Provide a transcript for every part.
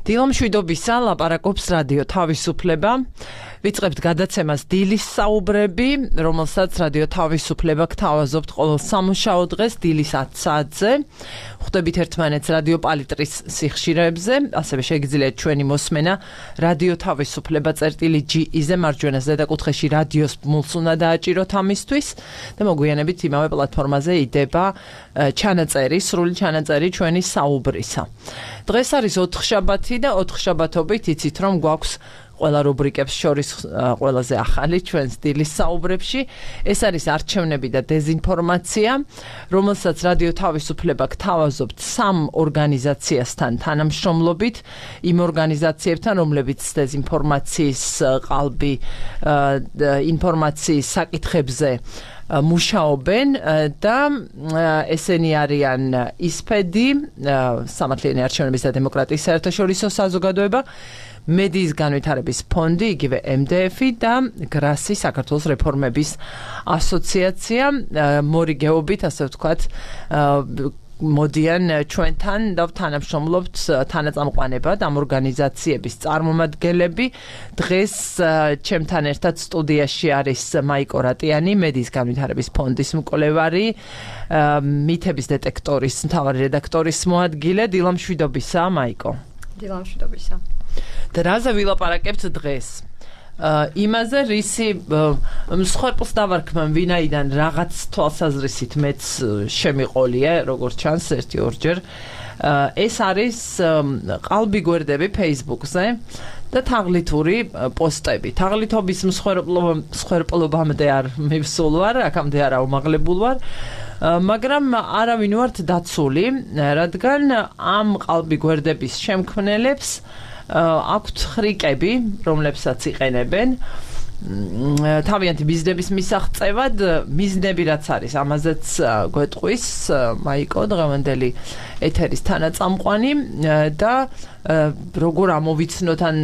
დილამშვიდობისა ლაპარაკობს რადიო თავისუფლება. ვიწყებთ გადაცემას დილის საუბრები, რომელსაც რადიო თავისუფლება გთავაზობთ ყოველ სამუშაო დღეს დილის 10 საათზე. ხვდებით ერთმანეთს რადიო პალიტრის სიხშირეებზე, ასევე შეგიძლიათ ჩვენი მოსმენა რადიო თავისუფლება წერტილი.ge-ზე მარჯვენა ზედაკუთხეში რადიოს ბმულს უნდა დააჭიროთ ამისთვის და მოგვიანებით იმავე პლატფორმაზე იდება ჩანაწერი, სრული ჩანაწერი ჩვენი საუბრისა. დღეს არის 4 შაბათი და 4 შაბათობით იცით რომ გვაქვს ყველა რუბრიკებს შორის ყველაზე ახალი ჩვენ დილის საუბრებში. ეს არის არჩევნები და დეზინფორმაცია, რომელსაც რადიო თავისუფლება გთავაზობთ 3 ორგანიზაციასთან თანამშრომლობით, იმ ორგანიზაციებთან, რომლებიც დეზინფორმაციის ყალბი ინფორმაციის საკითხებზე მუშაობენ და ესენი არიან ისფედი, სამართლიანი არჩევნების და დემოკრატიის საერთაშორისო საზოგადოება, მედიის განვითარების ფონდი, იგივე MDF-ი და გრასი საქართველოს რეფორმების ასოციაცია, მორიგეობით, ასე ვთქვათ, მოდიან ჩვენთან და თანამშრომლობთ თანაწამყვანებად ამ ორგანიზაციების წარმომადგენლები. დღეს ჩემთან ერთად სტუდიაში არის მაიკო რატიანი, მედიის განვითარების ფონდის მკვლევარი, მითების დეტექტორის მთავარი რედაქტორის მოადგილე. დილამშვიდობისა, მაიკო. დილამშვიდობისა. და რაზე ვილაპარაკებთ დღეს? იმაზე, რისი მსხვერპლს დავარქმევ, ვინაიდან რაღაც თვალსაზრისით მეც შემიყოლია, როგორც ჩანს, 1-2 ეს არის ყალბი გვერდები Facebook-ზე და თაღლითური პოსტები. თაღლითობის მსხვერპლობამდე არ მივსულ ვარ, აქამდე არ აუმაღლებულ ვარ. მაგრამ არავინ ვართ დაცული, რადგან ამ ყალბი გვერდების შემქმნელებს აქვთ ხრიკები, რომლებსაც იყენებენ თავიანთი მიზნების მისაღწევად. მიზნები რაც არის, ამაზეც გვეტყვის მაიკო, დღევანდელი ეთერის თანაწამყვანი და როგორ ამოვიცნოთ, ან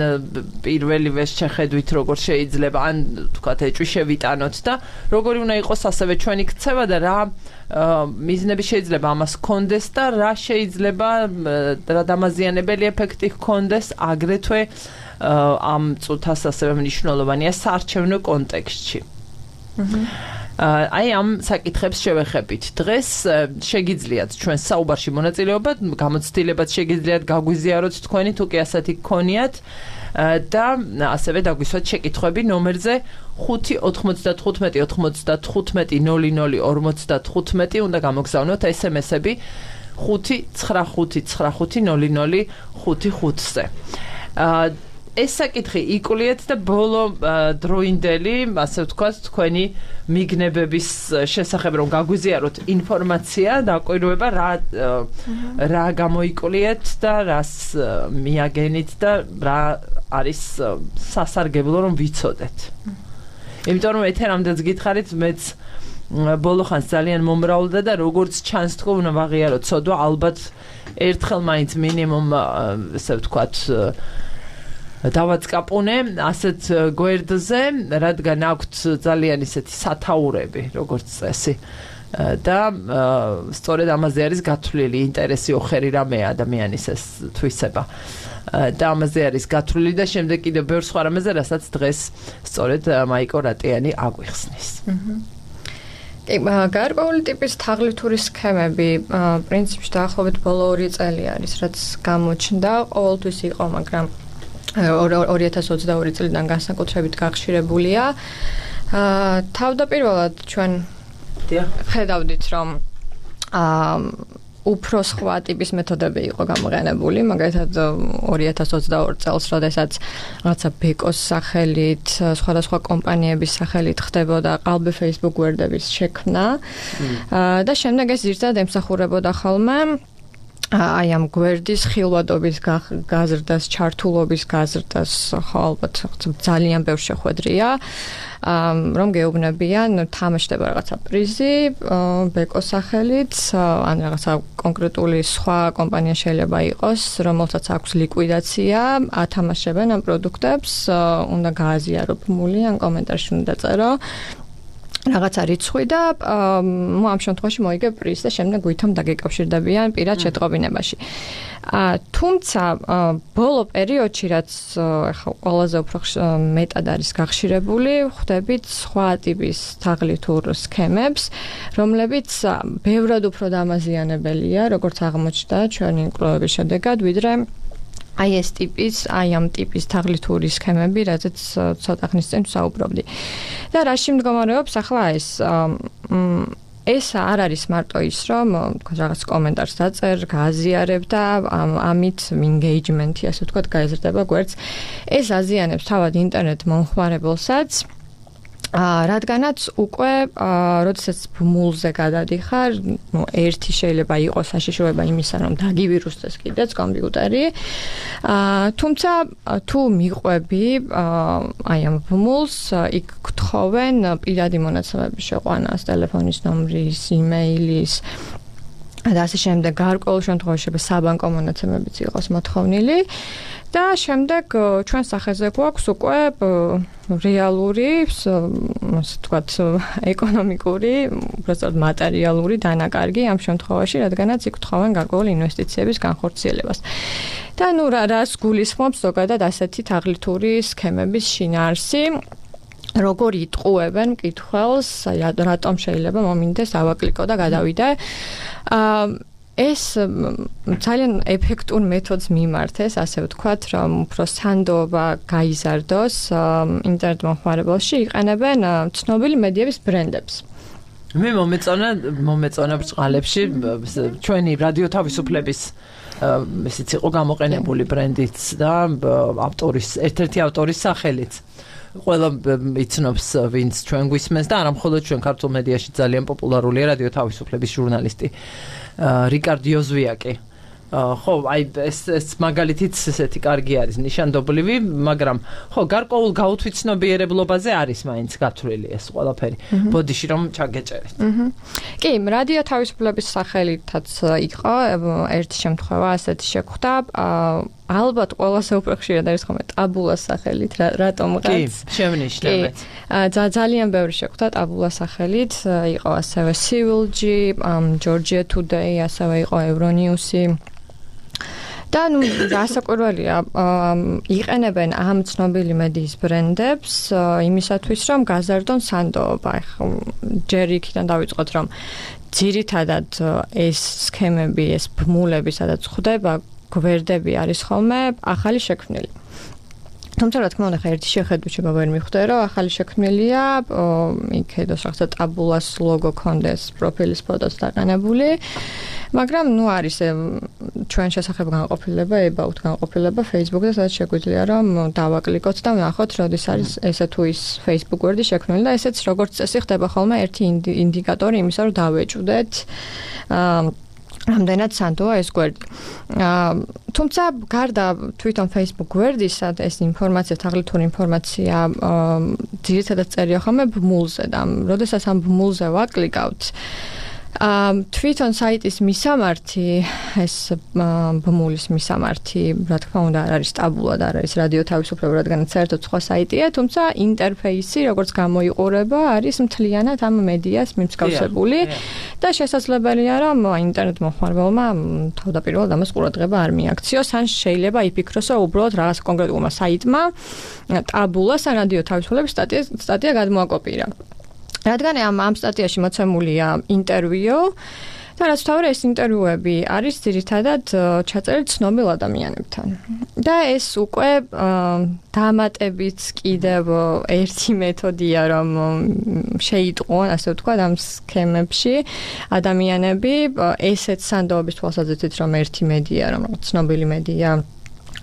პირველივე შეხედვით როგორ შეიძლება, ან თქვათ ეჭვი შევიტანოთ და როგორი უნდა იყოს ასევე ჩვენი ქცევა და რა მიზნები შეიძლება ამას ჰქონდეს და რა შეიძლება რა დამაზიანებელი ეფექტი ჰქონდეს აგრეთვე ამ წუთას ასევე მნიშვნელოვანია საარჩევნო კონტექსტში. აი ამ საკითხებს შევეხებით. დღეს შეგიძლიათ ჩვენ საუბარში მონაწილეობა, გამოცდილებაც შეგიძლიათ გაგვიზიაროთ თქვენი, თუ კი ასეთი გქონიათ და ასევე დაგვისვათ შეკითხვები ნომერზე 5-95-95-00-55 უნდა გამოგზავნოთ SMS-ები 5-95-95-00-55-ზე. ეს საკითხი იკულიეთ და ბოლო დროინდელი, ასე ვთქვათ, თქვენი მიგნებების შესახებ რომ გაგვიზიაროთ ინფორმაცია, დაკვირვება რა გამოიკულიეთ და რას მიაგენით და რა არის სასარგებლო რომ ვიცოდეთ. იმიტომ რომ ეთერამდეც გითხარით, მეც ბოლო ხანს ძალიან მომრავლდა და როგორც ჩანს თქო უნდა ვაღიარო ცოდვა, ალბათ ერთხელ მაინც მინიმუმ, ასე ვთქვათ, დავაწყაპუნე ასეთ გვერდზე, რადგან აქვთ ძალიან ისეთი სათაურები, როგორც წესი. და სწორედ ამაზე არის გათვლილი ინტერესი ოხერი რამეა ადამიანის ეს თვისება. და ამაზე არის გათვლილი და შემდეგ კიდევ ბევრ სხვა რამეზე, რასაც დღეს სწორედ მაიკო რატიანი აგვიხსნის. კი, გარკვეული ტიპის თაღლითური სქემები პრინციპში დაახლოებით ბოლო 2 წელი არის, რაც გამოჩნდა, ყოველთვის იყო, მაგრამ 2022 წლიდან განსაკუთრებით გახშირებულია. თავდაპირველად ჩვენ ხედავდით, რომ უფრო სხვა ტიპის მეთოდები იყო გამოყენებული, მაგალითად 2022 წელს, როდესაც რაღაცა ბეკოს სახელით, სხვადასხვა კომპანიების სახელით ხდებოდა ყალბი Facebook გვერდების შექმნა და შემდეგ ეს ზირთად ემსახურებოდა ხოლმე აი ამ გვერდის ხილვადობის გაზრდას, ჩართულობის გაზრდას, ხო, ალბათ ძალიან ბევრ შეხვედრია, რომ გეუბნებიან, თამაშდება რაღაცა პრიზი, ბეკოს სახელით, ან რაღაცა კონკრეტული სხვა კომპანია შეიძლება იყოს, რომელსაც აქვს ლიკვიდაცია, ათამაშებენ ამ პროდუქტებს, უნდა გააზიარო ბმული, ან კომენტარში უნდა წერო. რაღაცა რიცხვი და ამ შემთხვევაში მოიგებ პრიზს და შემდეგ ვითომ დაგეკავშირდებიან პირად შეტყობინებაში. თუმცა ბოლო პერიოდში რაც ახლა ყველაზე უფრო მეტად არის გახშირებული, ხვდებით სხვა ტიპის თაღლითურ სქემებს, რომლებიც ბევრად უფრო დამაზიანებელია, როგორც აღმოჩნდა ჩვენი კვლევების შედეგად, ვიდრე აი ამ ტიპის თაღლითური სქემები, რაზეც ცოტა ხნის წინ ვსაუბრობდი. და რაში მდგომარეობს ახლა ეს არ არის მარტო ის, რომ რაღაც კომენტარს დაწერ, გააზიარებ და ამით engagement-ი, ასე ვთქვათ, გაიზრდება გვერდს. ეს აზიანებს თავად ინტერნეტ მომხმარებელსაც, რადგანაც უკვე როდესაც ბმულზე გადადიხარ, ერთი შეიძლება იყოს საშიშროება იმისა, რომ დაგივირუსდეს კიდეც კომპიუტერი. თუმცა თუ მიყვები აი ამ ბმულს, იქ გთხოვენ პირადი მონაცემების შეყვანას, ტელეფონის ნომრის, იმეილის და ასე შემდეგ. გარკვეულ შემთხვევაში საბანკო მონაცემებიც იყოს მოთხოვნილი. და შემდეგ ჩვენ სახეზე გვაქვს უკვე რეალური, ასე ვთქვათ, ეკონომიკური, უბრალოდ მატერიალური დანაკარგი ამ შემთხვევაში, რადგანაც იქ გთხოვენ გარკვეული ინვესტიციების განხორციელებას. და რას გულისხმობს ზოგადად ასეთი თაღლითური სქემების შინაარსი? როგორ იტყუებენ მკითხველს, რატომ შეიძლება მომინდეს ავაკლიკო და გადავიდე. ეს ძალიან ეფექტურ მეთოდს მიმართეს, ასე ვთქვათ, რომ უფრო სანდოობა გაიზარდოს ინტერნეტ მომხმარებელში, იყენებენ ცნობილი მედიების ბრენდებს. მე მომეწონა ბრწყალებში ჩვენი რადიო თავისუფლების ესეც იყო გამოყენებული ბრენდიც და ერთ-ერთი ავტორის სახელიც. ყველა იცნობს ვინც ჩვენ გვისმენს და არა მხოლოდ ჩვენ ქართულ მედიაში ძალიან პოპულარულია რადიო თავისუფლების ჟურნალისტი რიკარდ იოზვიაკი. ხო, აი ეს მაგალითიც ესეთი კარგი არის, ნიშანდობლივი, მაგრამ ხო, გარკვეულ გაუთვითცნობიერებლობაზე არის მაინც გათვლილი ეს ყველაფერი. ბოდიში რომ ჩაგეჭერეთ. კი, რადიო თავისუფლების სახელითაც იყო ერთი შემთხვევა ასეთი შეხვდა. ალბათ ყველაზე უფრო ხშირად არის ხოლმე ტაბულას სახელით, რატომღაც. კი, შევნიშნებთ. ძალიან ბევრი შეხვდა ტაბულას სახელით, იყო ასევე Civil-G, Georgia Today, ასევე იყო Euronews-ი. და რასაკვირველია, იყენებენ ამ ცნობილი მედიის ბრენდებს იმისათვის, რომ გაზარდონ სანდოობა. ჯერ იქიდან დავიწყოთ, რომ ძირითადად ეს სქემები, ეს ბმულები, სადაც ხვდება გვერდები არის ხოლმე ახალი შექმნილი. თუმცა რა თქმა უნდა, ერთი შეხედვით შეიძლება ვერ მიხვდე, რომ ახალი შექმნილია, იქედოს რაღაცა ტაბულას ლოგო კონდეს, პროფილის ფოტოს დაყენებული, მაგრამ არის ჩვენ შესახებ განყოფილება, about განყოფილება Facebook-და, სადაც შეგვიძლია რომ დავაკლიკოთ და ვნახოთ, როდის არის ესე თუ ის Facebook გვერდი შექმნილი და ესეც როგორც წესი ხდება ხოლმე ერთი ინდიკატორი იმისა, რომ დავეჭვდეთ რამდენად სანდოა ეს გვერდი. თუმცა გარდა თვითონ Facebook გვერდისა ეს ინფორმაცია, თაღლითური ინფორმაცია ძირითადად წერია ხოლმე ბმულზე და როდესაც ამ ბმულზე ვაკლიკავთ, თვითონ საიტის მისამართი, ეს ბმულის მისამართი, რა თქმა უნდა, არ არის ტაბულა და არ არის რადიო თავისუფლება, რადგანაც საერთოდ სხვა საიტია, თუმცა ინტერფეისი, როგორც გამოიყურება, არის მთლიანად ამ მედიას მიმსგავსებული და შესაძლებელია, რომ ინტერნეტ მომხმარებელმა თავდაპირველად ამას ყურადღება არ მიაქციოს, ან შეიძლება იფიქროს, რომ უბრალოდ რაღაც კონკრეტულმა საიტმა ტაბულას ან რადიო თავისუფლების სტატია გადმოაკოპირა. რადგან ამ სტატიაში მოცემულია ინტერვიუ და რაც თავი ეს ინტერვიუები არის ძირითადად ჩაწერილი ცნობილ ადამიანებთან. და ეს უკვე დამატებით კიდევ ერთი მეთოდია, რომ შეიტყვონ, ასე ვთქვათ, ამ სქემებში ადამიანები ესეც სანდოობის თვალსაზრისით, რომ ერთი მედია, რომ ცნობილი მედია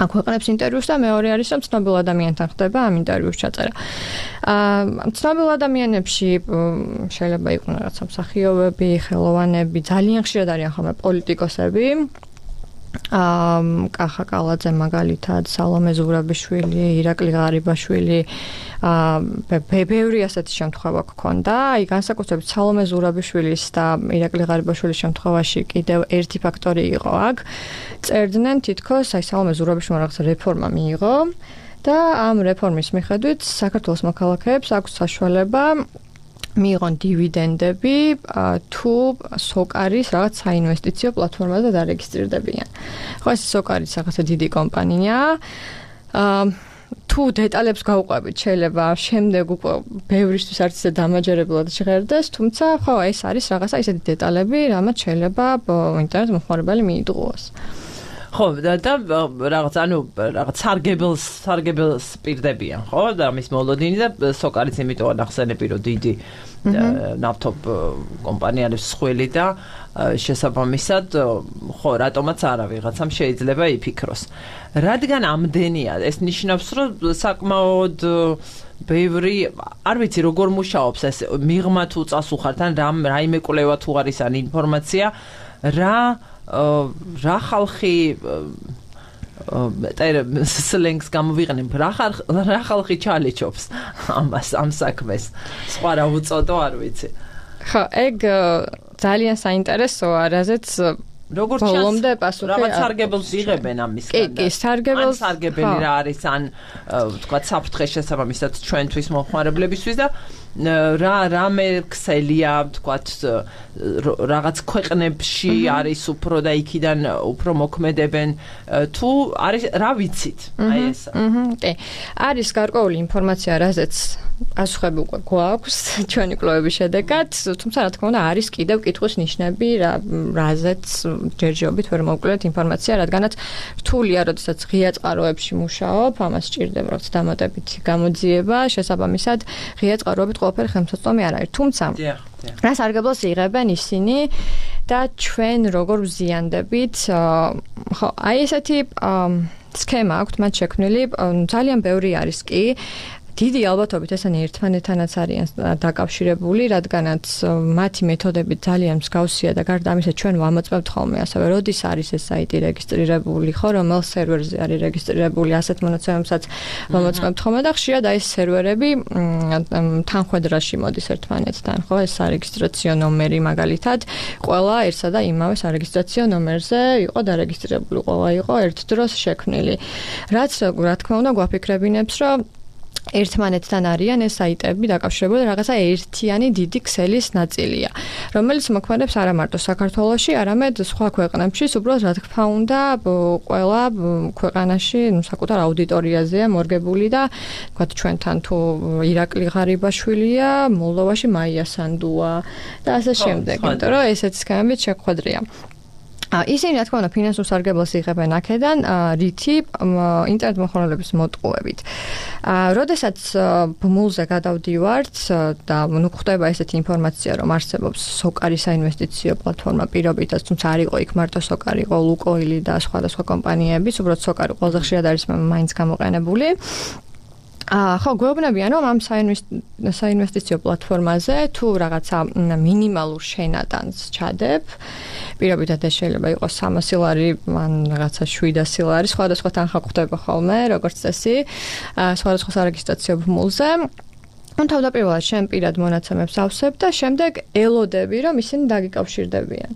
აქვეყნებს ინტერვიუს და მეორე არის, რომ ცნობილ ადამიანთან ხდება ამ ინტერვიუს ჩაწერა. ცნობილ ადამიანებში შეიძლება იყვნენ რაღაცა მსახიობები, ხელოვანები, ძალიან ხშირად არიან ხოლმე პოლიტიკოსები. კახა კალაძე მაგალითად, სალომე ზურაბიშვილი, ირაკლი ღარიბაშვილი, ბევრი ასეთი შემთხვევა გქონდა. აი განსაკუთრებით სალომე ზურაბიშვილის და ირაკლი ღარიბაშვილის შემთხვევაში კიდევ ერთი ფაქტორი იყო აქ. წერდნენ თითქოს აი სალომე ზურაბიშვილმა რაღაცა რეფორმა მიიღო და ამ რეფორმის მიხედვით საქართველოს მოქალაქეებს აქვს საშუალება მიიღონ დივიდენდები თუ სოკარის რაღაც საინვესტიციო პლატფორმაზე დარეგისტრირდებიან. ხო, ეს სოკარის რაღაცა დიდი კომპანიაა. თუ დეტალებს გავყვებით, შეიძლება შემდეგ უკვე ბევრისთვის არც ისე დამაჯერებლად ჟღერდეს, თუმცა ხო, ეს არის რაღაცა ისეთი დეტალები, რამაც შეიძლება ინტერნეტ მოხმარებელი მიიღოს. ხო, და რაღაც სარგებელს პირდებიან, ხო? და მის მოლოდინი და სოკარიც იმიტომ ახსენები, რომ დიდი ნავთობ კომპანია არის სხველი და შესაბამისად, ხო, რატომაც არა ვიღაცამ შეიძლება იფიქროს. რადგან ამდენია, ეს ნიშნავს, რომ საკმაოდ ბევრი, არ ვიცი როგორ მუშაობს ეს მიღმა თუ წასუხართ ან რაიმე კვლევა თუ არის ან ინფორმაცია, რა ხალხი სლენგს გამოვიყენებ, რა ხალხი ჩალეჩობს ამ საქმეს. სხვა რა უწოდო, არ ვიცი. ხო, ეგ ძალიან საინტერესოა, რაზეც როგორც ბოლომდე პასუხი რაღაც სარგებელს იღებენ ამისგან. კი, სარგებელს. ან სარგებელი რა არის, ან თქვა საფრთხე შესაბამისად ჩვენთვის მომხმარებლებისთვის და რამე ქსელია, თქვა რაღაც ქვეყნებში არის უფრო და იქიდან უფრო მოქმედებენ თუ არის რა ვიცით? აი ეს. კი. არის გარკვეული ინფორმაცია, რაზეც პასუხები უკვე გვაქვს ჩვენი კვლევების შედეგად, თუმცა რა თქმა უნდა არის კიდევ კითხვის ნიშნები, რაზეც ჯერჯერობით ვერ მოვკლევთ ინფორმაცია, რადგანაც რთულია, როდესაც ღია წყაროებში მუშაობ, ამას სჭირდება როგორც დამატებითი გამოძიება, შესაბამისად ღია წყაროებით ყველაფერი ხელმისაწვდომი არ არის. თუმცა რა სარგებლოს იღებენ ისინი და ჩვენ როგორ ვზიანდებით, ხო, აი ესეთი სქემა აქვთ მათ შექმნილი, ძალიან ბევრი არის კი. დიდი ალბათობით ესენი ერთმანეთთანაც არიან დაკავშირებული, რადგანაც მათი მეთოდები ძალიან მსგავსია და გარდა ამისა ჩვენ ვამოწმებთ ხოლმე ასევე, როდის არის ეს საიტი რეგისტრირებული, ხო, რომელ სერვერზე არის რეგისტრირებული, ასეთ მონაცემებსაც ვამოწმებთ ხოლმე და ხშირად აი ეს სერვერები თანხვედრაში მოდის ერთმანეთთან, ხო, ეს სარეგისტრაციო ნომერი მაგალითად, ყველა ერთსა და იმავე სარეგისტრაციო ნომერზე იყო დარეგისტრირებული, ყველა იყო ერთ დროს შექმნილი. რაც რა თქმა უნდა გვაფიქრებინებს, რომ ერთმანეთთან არიან ეს საიტები დაკავშირებული რაღაცა ერთიანი დიდი ქსელის ნაწილია, რომელიც მოქმედებს არა მარტო საქართველოში, არამედ სხვა ქვეყნებშიც, უბრალოდ რა თქმა უნდა, ყველა ქვეყანაში საკუთარ აუდიტორიაზეა მორგებული და თქვათ ჩვენთან თუ ირაკლი ღარიბაშვილია, მოლდოვაში მაია სანდუა და ასე შემდეგ, იმიტომ რომ ესეც სქემებით შეხვედრია. ისინი რა თქმა უნდა ფინანსურ სარგებლოს იღებენ აქედან, რითი ინტერნეტ მოხმარებლების მოტყუებით. როდესაც ბმულზე გადავდივართ და ხდება ესეთი ინფორმაცია, რომ არსებობს სოკარის საინვესტიციო პლატფორმა პირობითაც, თუმცა არ იყო იქ მარტო სოკარი, იყო ლუკოილი და სხვადასხვა კომპანიები, უბრალოდ სოკარი ყველაზე ხშირად არის მაინც გამოყენებული. ხო, გვეუბნებიან, რომ ამ საინვესტიციო პლატფორმაზე თუ რაღაცა მინიმალურ შენატანს ჩადებ, პირობითად ეს შეიძლება იყოს 300 ლარი, ან რაღაცა 700 ლარი, სხვადასხვა თანხა გვხდება ხოლმე, როგორც წესი, სხვადასხვა სარეგისტრაციო ბმულზე. თავდაპირველად შენ პირად მონაცემებს ავსებ და შემდეგ ელოდები, რომ ისინი დაგიკავშირდებიან.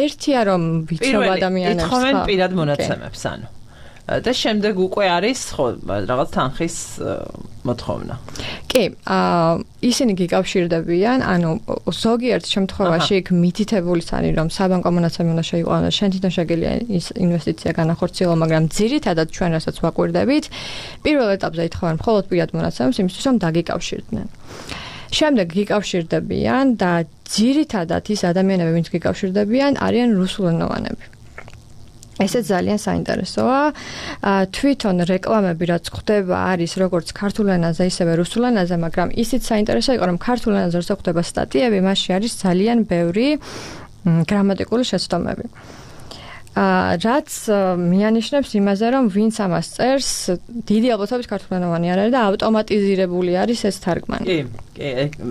ერთია რომ ვიცნობ ადამიანებს, ეთხოვენ პირად მონაცემებს, ანუ და შემდეგ უკვე არის ხო რაღაც თანხის მოთხოვნა. კი, ისინი გიკავშირდებიან, ანუ ზოგიერთ შემთხვევაში იქ მითითებულიც არის, რომ საბანკო მონაცემი უნდა შეიყვანოს, შენ თვითონ შეგიძლია ის ინვესტიცია განახორციელო, მაგრამ ძირითადად ჩვენ რასაც ვაკვირდებით, პირველ ეტაპზე ითხოვენ მხოლოდ პირად მონაცემებს, იმისთვის რომ დაგიკავშირდნენ. შემდეგ გიკავშირდებიან და ძირითადად ის ადამიანები, ვინც გიკავშირდებიან, არიან რუსულენოვანები. ესეც ძალიან საინტერესოა. თვითონ რეკლამები რაც ხდება არის როგორც ქართულ ენაზე, ისევე რუსულ ენაზე, მაგრამ ისიც საინტერესო იყო, რომ ქართულ ენაზე როცა ხდება სტატიები, მასში არის ძალიან ბევრი გრამატიკული შეცდომები. რაც მიანიშნებს იმაზე, რომ ვინც ამას წერს, დიდი ალბათობით ქართულენოვანი არ არის და ავტომატიზირებული არის ეს თარგმანი. კი,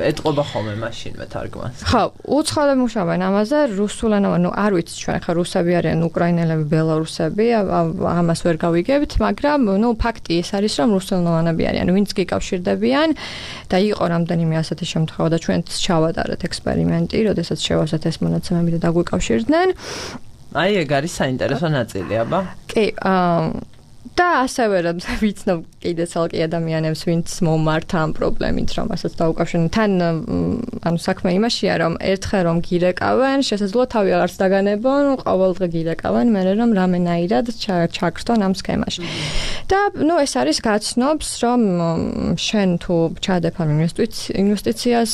ეტყობა ხოლმე მაშინვე თარგმანს. ხო, უცხოელები მუშაობენ ამაზე, რუსულენოვანი, ნუ არ ვიცი ჩვენ ხა რუსები არიან, უკრაინელები, ბელარუსები, ამას ვერ გავიგებთ, მაგრამ ნუ ფაქტი ეს არის, რომ რუსულენოვანები არიან, ვინც გიკავშირდებიან და იყო რამდენიმე ასეთი შემთხვევა და ჩვენც ჩავატარეთ ექსპერიმენტი, როდესაც შევავსეთ ეს მონაცემები და დაგვიკავშირდნენ. აი, ეგ არის საინტერესო ნაწილი, აბა. კი, და ასევე რომ ვიცნობ კიდე ცალკე ადამიანებს, ვინც მომართა ამ პრობლემით, რომ ასაც დაუკავშირდნენ. თან ანუ საქმე იმაშია, რომ ერთხელ რომ გირეკავენ, შესაძლოა თავი აღარც დაგანებონ, ყოველდღე გირეკავენ, მერე რომ რამენაირად ჩაგრთონ ამ სქემაში. და ეს არის გაცნობს, რომ შენ თუ ჩადებ ამ ინვესტიციას,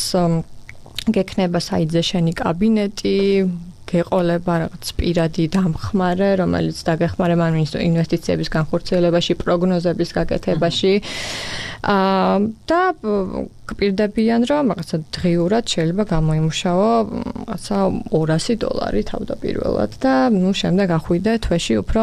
გექნება საიტზე შენი კაბინეტი, გეყოლება რაღაც პირადი დამხმარე, რომელიც დაგეხმარება ამ ინვესტიციების განხორციელებაში, პროგნოზების გაკეთებაში. და გპირდებიან, რომ რაღაცა დღიურად შეიძლება გამოიმუშაო რაღაცა $200 თავდაპირველად და შემდეგ ახვიდე თვეში უფრო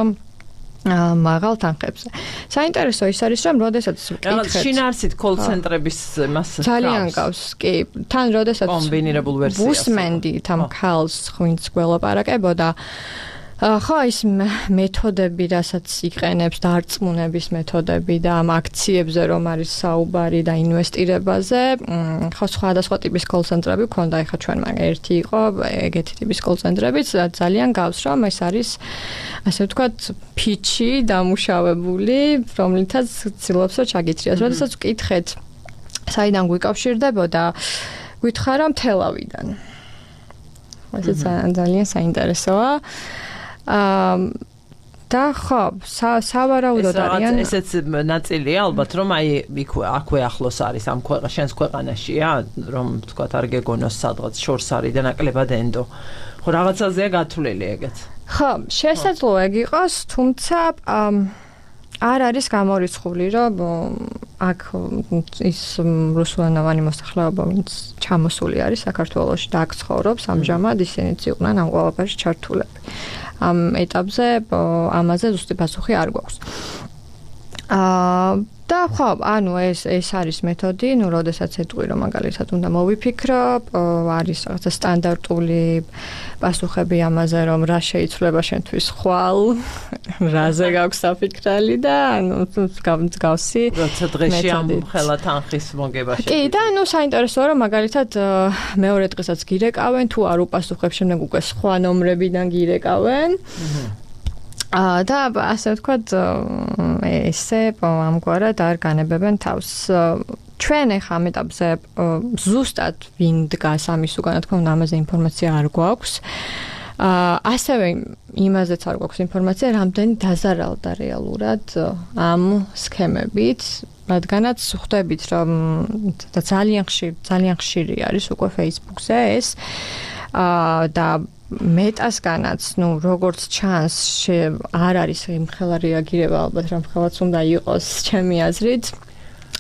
მაღალ თანხებზე. საინტერესო ის არის, რომ როდესაც ვკითხეთ შინაარსით კოლ-ცენტრების მას ძალიან გავს, კი, თან როდესაც კომბინირებულ ვერსიას ვუსმენდი თან ქალს, ვინც გველაპარაკებოდა, ხო, ის მეთოდები, რასაც იყენებს, დარწმუნების მეთოდები და ამ აქციებზე რომ არის საუბარი და ინვესტირებაზე, ხო, სხვადასხვა ტიპის კოლ-ცენტრები ქონდა, ეხლა ჩვენ მაგ ერთი იყო, ეგეთი ტიპის კოლ-ცენტრებიც ძალიან გავს, რომ ეს არის ასე ვთქვათ, ფიჩი დამუშავებული, რომლითაც ცდილობს რომ ჩაგითრიოს. როდესაც ვკითხეთ, საიდან გვიკავშირდებოდა, გვითხრა რომ თელავიდან. ეს ძალიან საინტერესოა. და ხო, სავარაუდოდ არიან ესეც ნაწილია ალბათ, რომ აი აქვე ახლოს არის ამ შენს ქვეყანაშია, რომ ვთქვათ არ გეგონოს სადღაც შორს არის და ნაკლებად ენდო. ხო, რაღაცაზეა გათვლილი ეგეც. ხო, შესაძლოა ეგ იყოს, თუმცა არ არის გამორიცხული, რომ აქ ის რუსულენოვანი მოსახლეობა, ვინც ჩამოსული არის საქართველოში და აქ ცხოვრობს, ამჟამად ისინიც იყვნენ ამ ყველაფერში ჩართულები. ამ ეტაპზე ამაზე ზუსტი პასუხი არ გვაქვს. და ხო, ანუ ეს არის მეთოდი, როდესაც ეტყვი რომ მაგალითად უნდა მოვიფიქრო, არის რაღაცა სტანდარტული პასუხები ამაზე, რომ რა შეიცვლება შენთვის ხვალ, რაზე გაქვს საფიქრალი და ანუ გავსი. როცა დღეში ამ ხელა თანხის მოგებაში. კი, და საინტერესოა რომ მაგალითად მეორე დღესაც გირეკავენ, თუ არ უპასუხებ, შემდეგ უკვე სხვა ნომრებიდან გირეკავენ. და ასე ვთქვათ, ესე ამგვარად არ განებებენ თავს. ჩვენ ახლა ამ ეტაპზე ზუსტად ვინ დგას ამის უკან, თქო უნდა ამაზე ინფორმაცია არ გვაქვს. ასევე იმაზეც არ გვაქვს ინფორმაცია, რამდენი დაზარალდა რეალურად ამ სქემებით, რადგანაც ხვდებით, რომ ძალიან ხშირი არის უკვე Facebook-ზე ეს და მეტასგანაც, როგორც ჩანს, არ არის იმხელა რეაგირება, ალბათ რომ ხელაც უნდა იყოს, ჩემი აზრით,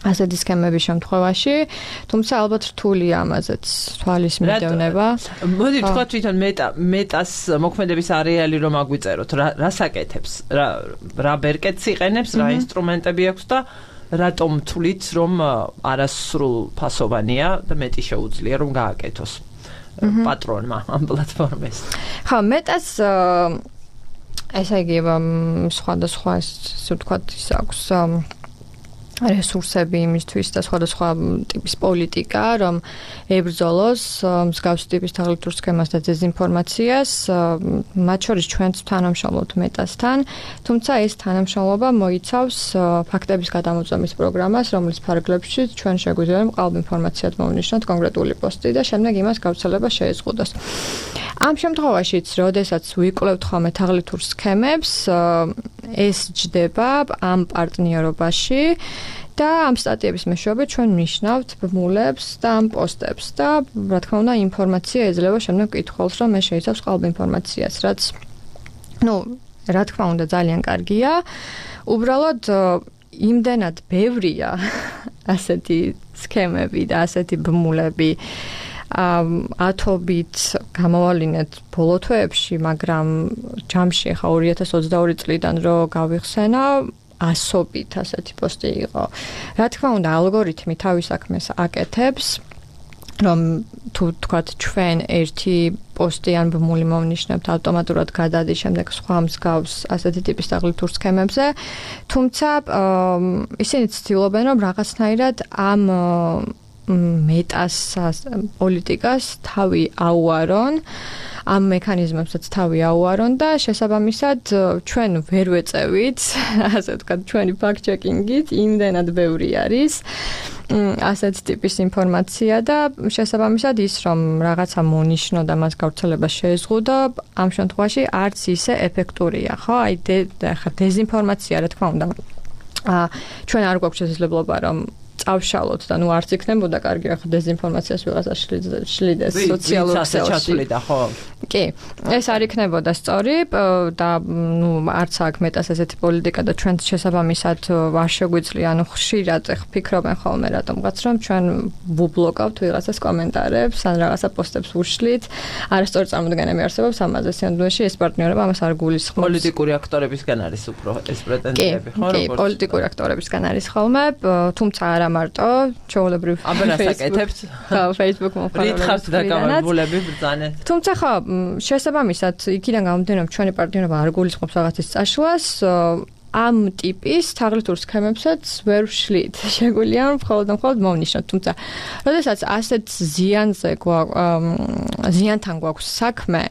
ასეთი სქემების შემთხვევაში, თუმცა ალბათ რთულია ამაზეც თვალის მიდევნება. მოდი თქვა თვითონ მეტას მოქმედების არეალი რომ აგვიწეროთ, რა საკეთებს, რა ბერკეტს იყენებს, რა ინსტრუმენტები აქვს და რატომ თვლით, რომ არასრულ ფასოვანია და მეტი შეუძლია რომ გააკეთოს. პატრონმა ამ პლატფორმას. ხო, მეტას ესე იგი სხვადასხვა ისე ვთქვათ ის აქვს რესურსები იმისთვის და სხვადასხვა ტიპის პოლიტიკა, რომ ებრძოლოს მსგავსი ტიპის თაღლითურ სქემას და დეზინფორმაციას, მათ შორის ჩვენც თანამშრომლობთ მეტასთან, თუმცა ეს თანამშრომლობა მოიცავს ფაქტების გადამოწმების პროგრამას, რომლის ფარგლებში ჩვენ შეგვიძლია მყალბ ინფორმაციად მოვნიშნოთ კონკრეტული პოსტი და შემდეგ იმას გავრცელება შეეზღუდოს. ამ შემთხვევაშიც, როდესაც ვიკვლევთ ხოლმე თაღლითურ სქემებს, ეს ჯდება ამ პარტნიორობაში და ამ სტატიების მეშვეობით ჩვენ ნიშნავთ ბმულებს და ამ პოსტებს და რა თქმა უნდა ინფორმაცია ეძლევა შემდეგ კითხვას, რომ ეს შეიცავს ყალბ ინფორმაციას, რაც რა თქმა უნდა ძალიან კარგია. უბრალოდ იმდენად ბევრია ასეთი სქემები და ასეთი ბმულები ათობით გამოვალინეთ ბოლო თვეებში, მაგრამ ჯამში ხა 2022 წლიდან რო გავიხსენა, ასობით ასეთი პოსტი იყო. რა თქმა უნდა, ალგორითმი თავის საქმეს აკეთებს, რომ თუ თქვათ ჩვენ ერთი პოსტი ან ბმული მოვნიშნებთ, ავტომატურად გადადის შემდეგ სხვა მსგავს ასეთი ტიპის თაღლითურ სქემებზე, თუმცა ისინი ცდილობენ, რომ რაღაცნაირად ამ მეტას პოლიტიკას თავი აუარონ. ამ მექანიზმებსაც თავი აუარონ და შესაბამისად ჩვენ ვერ ვეწევით, ასე ვთქვათ, ჩვენი fact-checking-ით იმდენად ბევრი არის ასეთ ტიპის ინფორმაცია და შესაბამისად ის რომ რაღაცა მონიშნო და მას გავრცელება შეეზღუდო, ამ შემთხვევაში არც ისე ეფექტურია, ხო? აი ხა დეზინფორმაცია, რა თქმა უნდა. ჩვენ არ გვაქვს შესაძლებლობა რომ წავშალოთ და ნუ არც იქნებოდა კარგი ახლა დეზინფორმაციას ვიღაცა შლიდეს სოციალურ ქსელში. კი, ეს არ იქნებოდა სწორი და ნუ არც აქ მეტას ესეთი პოლიტიკა და ჩვენ შესაბამისად არ შეგვიძლია, ანუ ხშირად ფიქრობენ ხოლმე რატომღაც რომ ჩვენ ვუბლოკავთ ვიღაცას კომენტარებს, ან რაღაცა პოსტებს ვუშლით, არასწორი წარმოდგენები არსებობს ამაზე. სინამდვილეში ეს პარტნიორობა ამას არ გულისხმობს. პოლიტიკური აქტორებისგან არის უფრო ეს პრეტენზიები, ხო? კი, პოლიტიკური აქტორებისგან არის ხოლმე, თუმცა არა მარტო ჩაოლებრივ Facebook მომხმარებლებს რითხავთ დაკავებულები ბრძანეთ. თუმცა ხო, შესაბამისად, იქიდან გამომდინარე, რომ ჩვენი პარტნიორობა არ გულისხმობს რაღაცის წაშლას, ამ ტიპის თაღლითურ სქემებსაც ვერ ვშლით. შეგვიძლია მხოლოდ მოვნიშნოთ, თუმცა, როდესაც ასეთ ზიანთან გვაქვს საქმე,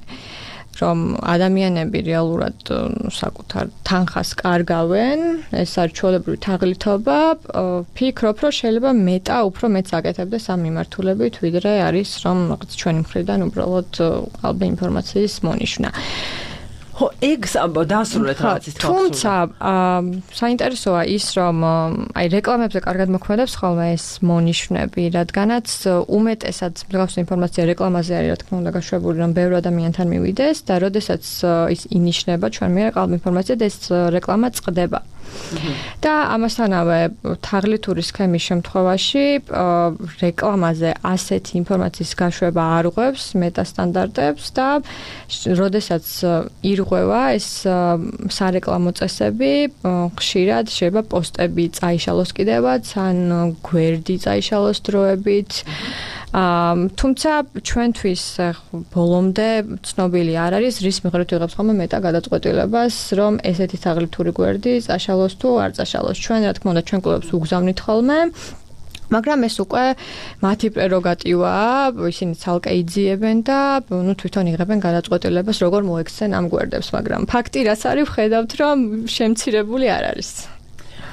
რომ ადამიანები რეალურად საკუთარ თანხას კარგავენ, ეს არის ჩვეულებრივი თაღლითობა, ფიქრობ, რომ შეიძლება უფრო მეტს აკეთებდეს ამ მიმართულებით, ვიდრე არის რომ რაღაც ჩვენი მხრიდან უბრალოდ ყალბი ინფორმაციის მონიშნა. ხო, ეგ დასრულეთ რაღაცის თქმა. თუმცა, საინტერესოა ის, რომ აი რეკლამებზე კარგად მოქმედებს ხოლმე ეს მონიშნები, რადგანაც უმეტესად მსგავსი ინფორმაცია რეკლამაზე არის, რა თქმა უნდა, გაშვებული, რომ ბევრ ადამიანთან მივიდეს და როდესაც ის ინიშნება ჩვენ მიერ ყალბ ინფორმაცია და ეს რეკლამა წყდება. და ამასთანავე თაღლითური სქემის შემთხვევაში რეკლამაზე ასეთი ინფორმაციის გაშვება არ ღვევს მეტასტანდარტებს და როდესაც ირღვევა ეს სარეკლამო წესები, ხშირად შეიძლება პოსტები წაიშალოს კიდევაც, ან გვერდი წაიშალოს დროებით. თუმცა ჩვენთვის ბოლომდე ცნობილი არ არის, რის მიხედვით ვიღებს ხოლმე მეტა გადაწყვეტილებას, რომ ესეთი თაღლითური გვერდი წაშალოს თუ არ წაშალოს. ჩვენ რა თქმა უნდა ჩვენ კლუბებს უგზავნით ხოლმე, მაგრამ ეს უკვე მათი პრეროგატივაა, ისინი ცალკე იძიებენ და ნუ თვითონ იღებენ გადაწყვეტილებას, როგორ მოექცენ ამ გვერდებს, მაგრამ ფაქტი რაც არის, ვხედავთ, რომ შემცირებული არ არის.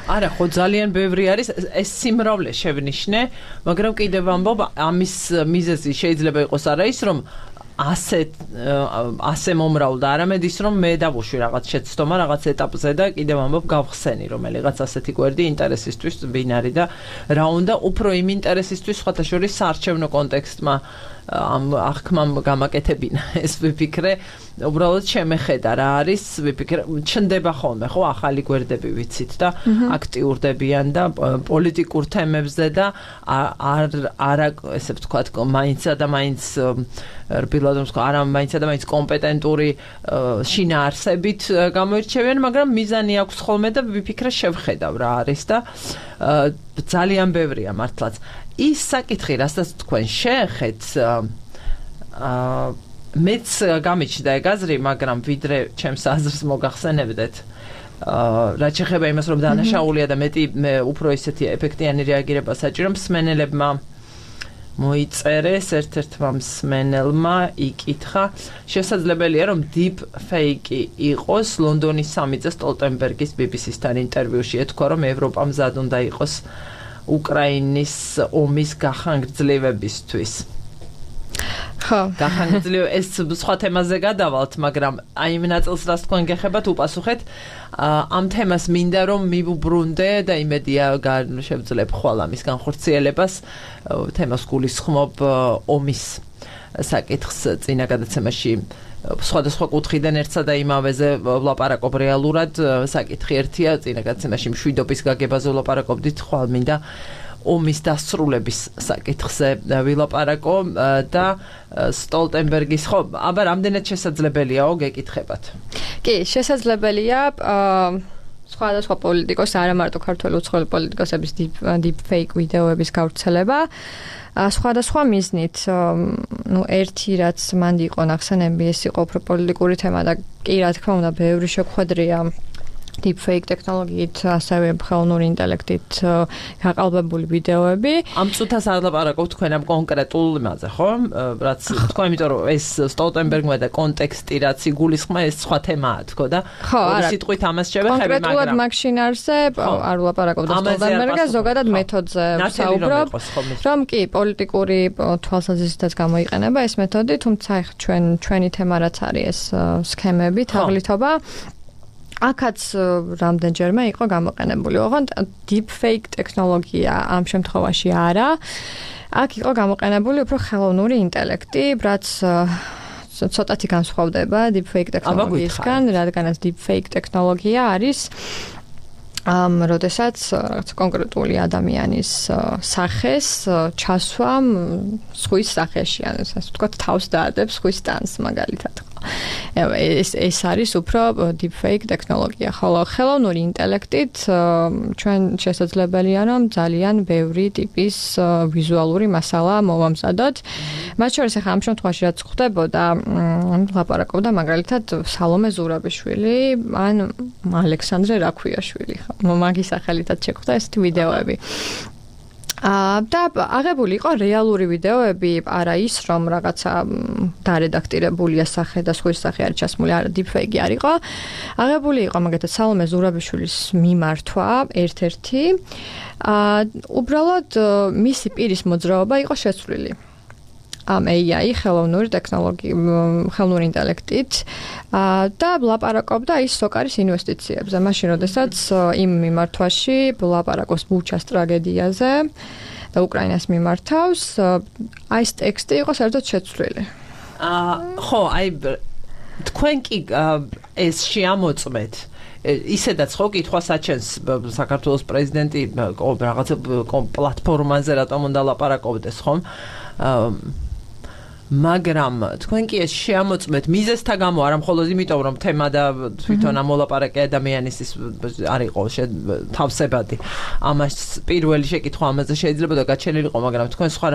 არა, ხო ძალიან ბევრი არის, ეს სიმრავლე შევნიშნე, მაგრამ კიდევ ამბობ, ამის მიზეზი შეიძლება იყოს არა ის, რომ ასე მომრავლდა, არამედ ის, რომ მე დავუშვი რაღაც შეცდომა, რაღაც ეტაპზე და კიდევ ამბობ გავხსენი, რომელიღაც ასეთი გვერდი ინტერესისთვის ბინარი და რა უნდა უფრო იმ ინტერესისთვის სხვათა შორის საარჩევნო კონტექსტმა ამ აღქმამ გამაკეთებინა ეს ვიფიქრე, უბრალოდ შემეხედა რა არის, ვიფიქრე, ჩნდება ხოლმე, ხო, ახალი გვერდები ვიცით და აქტიურდებიან და პოლიტიკურ თემებზე და არა ესე ვთქვათ, მაინცა და მაინც რბილად რომ არა მაინცა და მაინც კომპეტენტური შინაარსებით გამოირჩევიან, მაგრამ მიზანი აქვს ხოლმე და ვიფიქრე შევხედავ რა არის და ძალიან ბევრია მართლაც. ის საკითხი, რასაც თქვენ შეეხეთ, მეც გამიჩნდა ეგ აზრი, მაგრამ ვიდრე ჩემს აზრს მოგახსენებდეთ. რაც შეეხება იმას, რომ დანაშაულია და მე უფრო ისეთი ეფექტიანი რეაგირება საჭირო, მსმენელებმა მოიწერეს, ერთ-ერთმა მსმენელმა იკითხა, შესაძლებელია რომ deep fake იყოს ლონდონის სამიწე სტოლტენბერგის BBC-სთან ინტერვიუში ეთქვა, რომ ევროპა მზად უნდა იყოს უკრაინის ომის გახანგრძლივებისთვის. ხო, გახანგრძლივ ეს სხვა თემაზე გადავალთ, მაგრამ აი იმ ნაწილს რაც თქვენ გეხებათ უპასუხეთ, ამ თემას მინდა რომ მივუბრუნდე და იმედია შევძლებ ხვალ ამის განხორციელებას, თემას გულისხმობ ომის საკითხს წინა გადაცემაში სხვადასხვა კუთხიდან ერთსა და იმავეზე ვლაპარაკობ რეალურად, საკითხი ერთია, წინა გადაცემაში მშვიდობის გაგებაზე ვლაპარაკობდით, ხვალ მინდა ომის დასრულების საკითხზე ვილაპარაკო და სტოლტენბერგის, ხო, აბა რამდენად შესაძლებელიაო გეკითხებათ? კი, შესაძლებელია სხვადასხვა პოლიტიკოს, არა მარტო ქართველი უცხოელი პოლიტიკოსების deep fake ვიდეოების გავრცელება. სხვადასხვა მიზნით, ნუ ერთი რაც მანდი იყო ნახსენები, ეს იყო უფრო პოლიტიკური თემა და კი რა თქმა უნდა, ბევრი შეხვედრია deepfake ტექნოლოგიით, ასევე ხელოვნური ინტელექტით გაყალბებული ვიდეოები. ამ წუთას არ ლაპარაკობ თქვენ ამ კონკრეტულ იმაზე, ხო? რაც თქვა, იმიტომ რომ ეს სტოლტენბერგმა და კონტექსტი რაც იგულისხმა, ეს სხვა თემაა, თქო და ორი სიტყვით ამას შევეხები, მაგრამ კონკრეტულად მაგ შინაარსზე არ ლაპარაკობ და სტოლტენბერგს ზოგადად მეთოდზე ვსაუბრობ, რომ კი პოლიტიკური თვალსაზრისითაც გამოიყენება ეს მეთოდი, თუმცა ჩვენი თემა რაც არის ეს სქემები, თაღლითობა აქაც რამდენჯერმე იყო გამოყენებული. ოღონდ deepfake ტექნოლოგია ამ შემთხვევაში არა. აქ იყო გამოყენებული უფრო ხელოვნური ინტელექტი, რაც ცოტათი განსხვავდება deepfake ტექნოლოგიისგან, რადგანაც deepfake ტექნოლოგია არის როდესაც რაღაც კონკრეტული ადამიანის სახეს ჩასვამ სხვის სახეში, ან ასე ვთქვათ, თავს დაადებს სხვის ტანს მაგალითად. ეს არის უფრო deepfake ტექნოლოგია, ხოლო ხელოვნური ინტელექტით ჩვენ შესაძლებელია რომ ძალიან ბევრი ტიპის ვიზუალური მასალა მოვამზადოთ. მათ შორის ახლა ამ შემთხვევაში რაც ხდებოდა, ლაპარაკობდა მაგალითად სალომე ზურაბიშვილი ან ალექსანდრე რაქვიაშვილი, მაგის სახელითაც შეხვდა ეს ვიდეოები. და აღებული იყო რეალური ვიდეოები, არა ის, რომ რაღაცა დარედაქტირებულია სახე და სხვის სახე არის ჩასმული, არა deepfake არ იყო. აღებული იყო მაგალითად სალომე ზურაბიშვილის მიმართვა ერთ-ერთი. უბრალოდ მისი პირის მოძრაობა იყო შეცვლილი. ამ AI ხელოვნური ტექნოლოგია, ხელოვნური ინტელექტით და ლაპარაკობდა ის სოკარის ინვესტიციებზე. მაშინ, როდესაც იმ მიმართვაში ლაპარაკობს ბუჩას ტრაგედიაზე და უკრაინას მიმართავს, აი ეს ტექსტი იყო საერთოდ შეცვლილი. ხო, აი თქვენ კი ეს შეამოწმეთ ისედაც ხო კითხვას აჩენს საქართველოს პრეზიდენტი რაღაცა პლატფორმაზე რატომ უნდა ლაპარაკობდეს, ხომ? მაგრამ თქვენ კი ეს შეამოწმეთ მიზეზთა გამო, არა მხოლოდ იმიტომ, რომ თემა და თვითონ ამ მოლაპარაკე ადამიანის ის არ იყო თავსებადი. ამას პირველი შეკითხვა ამაზე შეიძლება და გაჩენილიყო, მაგრამ თქვენ სხვა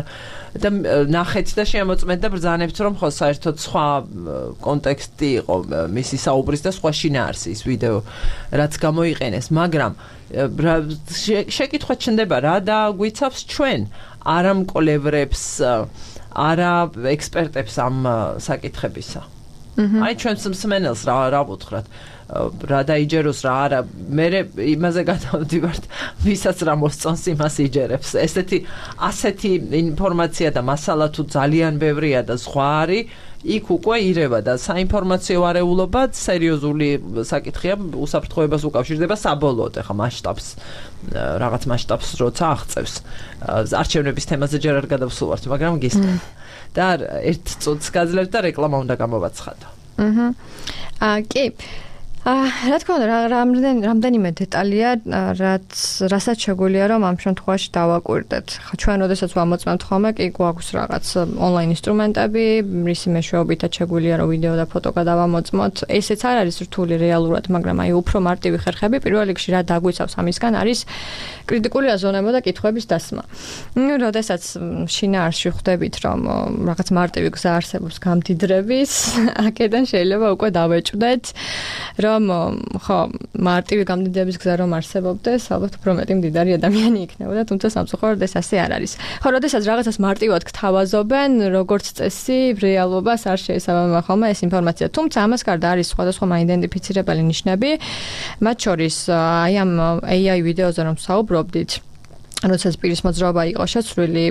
და ნახეთ და შეამოწმეთ და ბრძანებთ, რომ ხო საერთოდ სხვა კონტექსტი იყო მისი საუბრის და სხვა შინაარსი ის ვიდეო, რაც გამოიყენეს, მაგრამ შეკითხვა ჩნდება რა და გვიცავს ჩვენ არა მკვლევრებს არა ექსპერტებს ამ საკითხებისა. აი ჩვენს მსმენელს რა ვუთხრათ, რა დაიჯეროს რა არა, მე იმაზე გადავდივართ, ვისაც რა მოსწონს იმას იჯერებს. ასეთი ინფორმაცია და მასალა თუ ძალიან ბევრია და სხვა არის, იქ უკვე ირევა და საინფორმაციო არეულობა სერიოზული საკითხია, უსაფრთხოებას უკავშირდება საბოლოოდ, ახლა მასშტაბს, რაღაც მასშტაბს როცა აღწევს. არჩევნების თემაზე ჯერ არ გადავსულვართ, მაგრამ გისმენთ. და ერთ წუთს გაძლევთ და რეკლამა უნდა გამოვაცხადო. კი. რა თქმა უნდა, რამდენიმე დეტალია, რასაც შეგვიძლია რომ ამ შემთხვევაში დავაკვირდეთ. ჩვენ როდესაც ვამოწმებთ ხოლმე, კი გვაქვს რაღაც ონლაინ ინსტრუმენტები, რისი მეშვეობითაც შეგვიძლია რომ ვიდეო და ფოტო გადავამოწმოთ. ესეც არ არის რთული რეალურად, მაგრამ აი უფრო მარტივი ხერხები პირველ რიგში რა დაგვიცავს ამისგან არის კრიტიკული აზროვნება და კითხვების დასმა. როდესაც შინაარსში ხვდებით რომ რაღაც მარტივი გზა არსებობს გამდიდრების, აქედან შეიძლება უკვე დავეჭვდეთ რომ ხო მარტივი გამდიდრების გზა რომ არსებობდეს, ალბათ უფრო მეტი მდიდარი ადამიანი იქნებოდა, თუმცა სამწუხაროდ ეს ასე არ არის. ხო, როდესაც რაღაცას მარტივად გთავაზობენ, როგორც წესი, რეალობას არ შეესაბამება ხოლმე ეს ინფორმაცია. თუმცა ამას გარდა არის სხვადასხვა მაიდენტიფიცირებელი ნიშნები, მათ შორის აი ამ AI ვიდეოზე რომ საუბრობდით, როდესაც პირის მოძრაობა იყო შეცვლილი,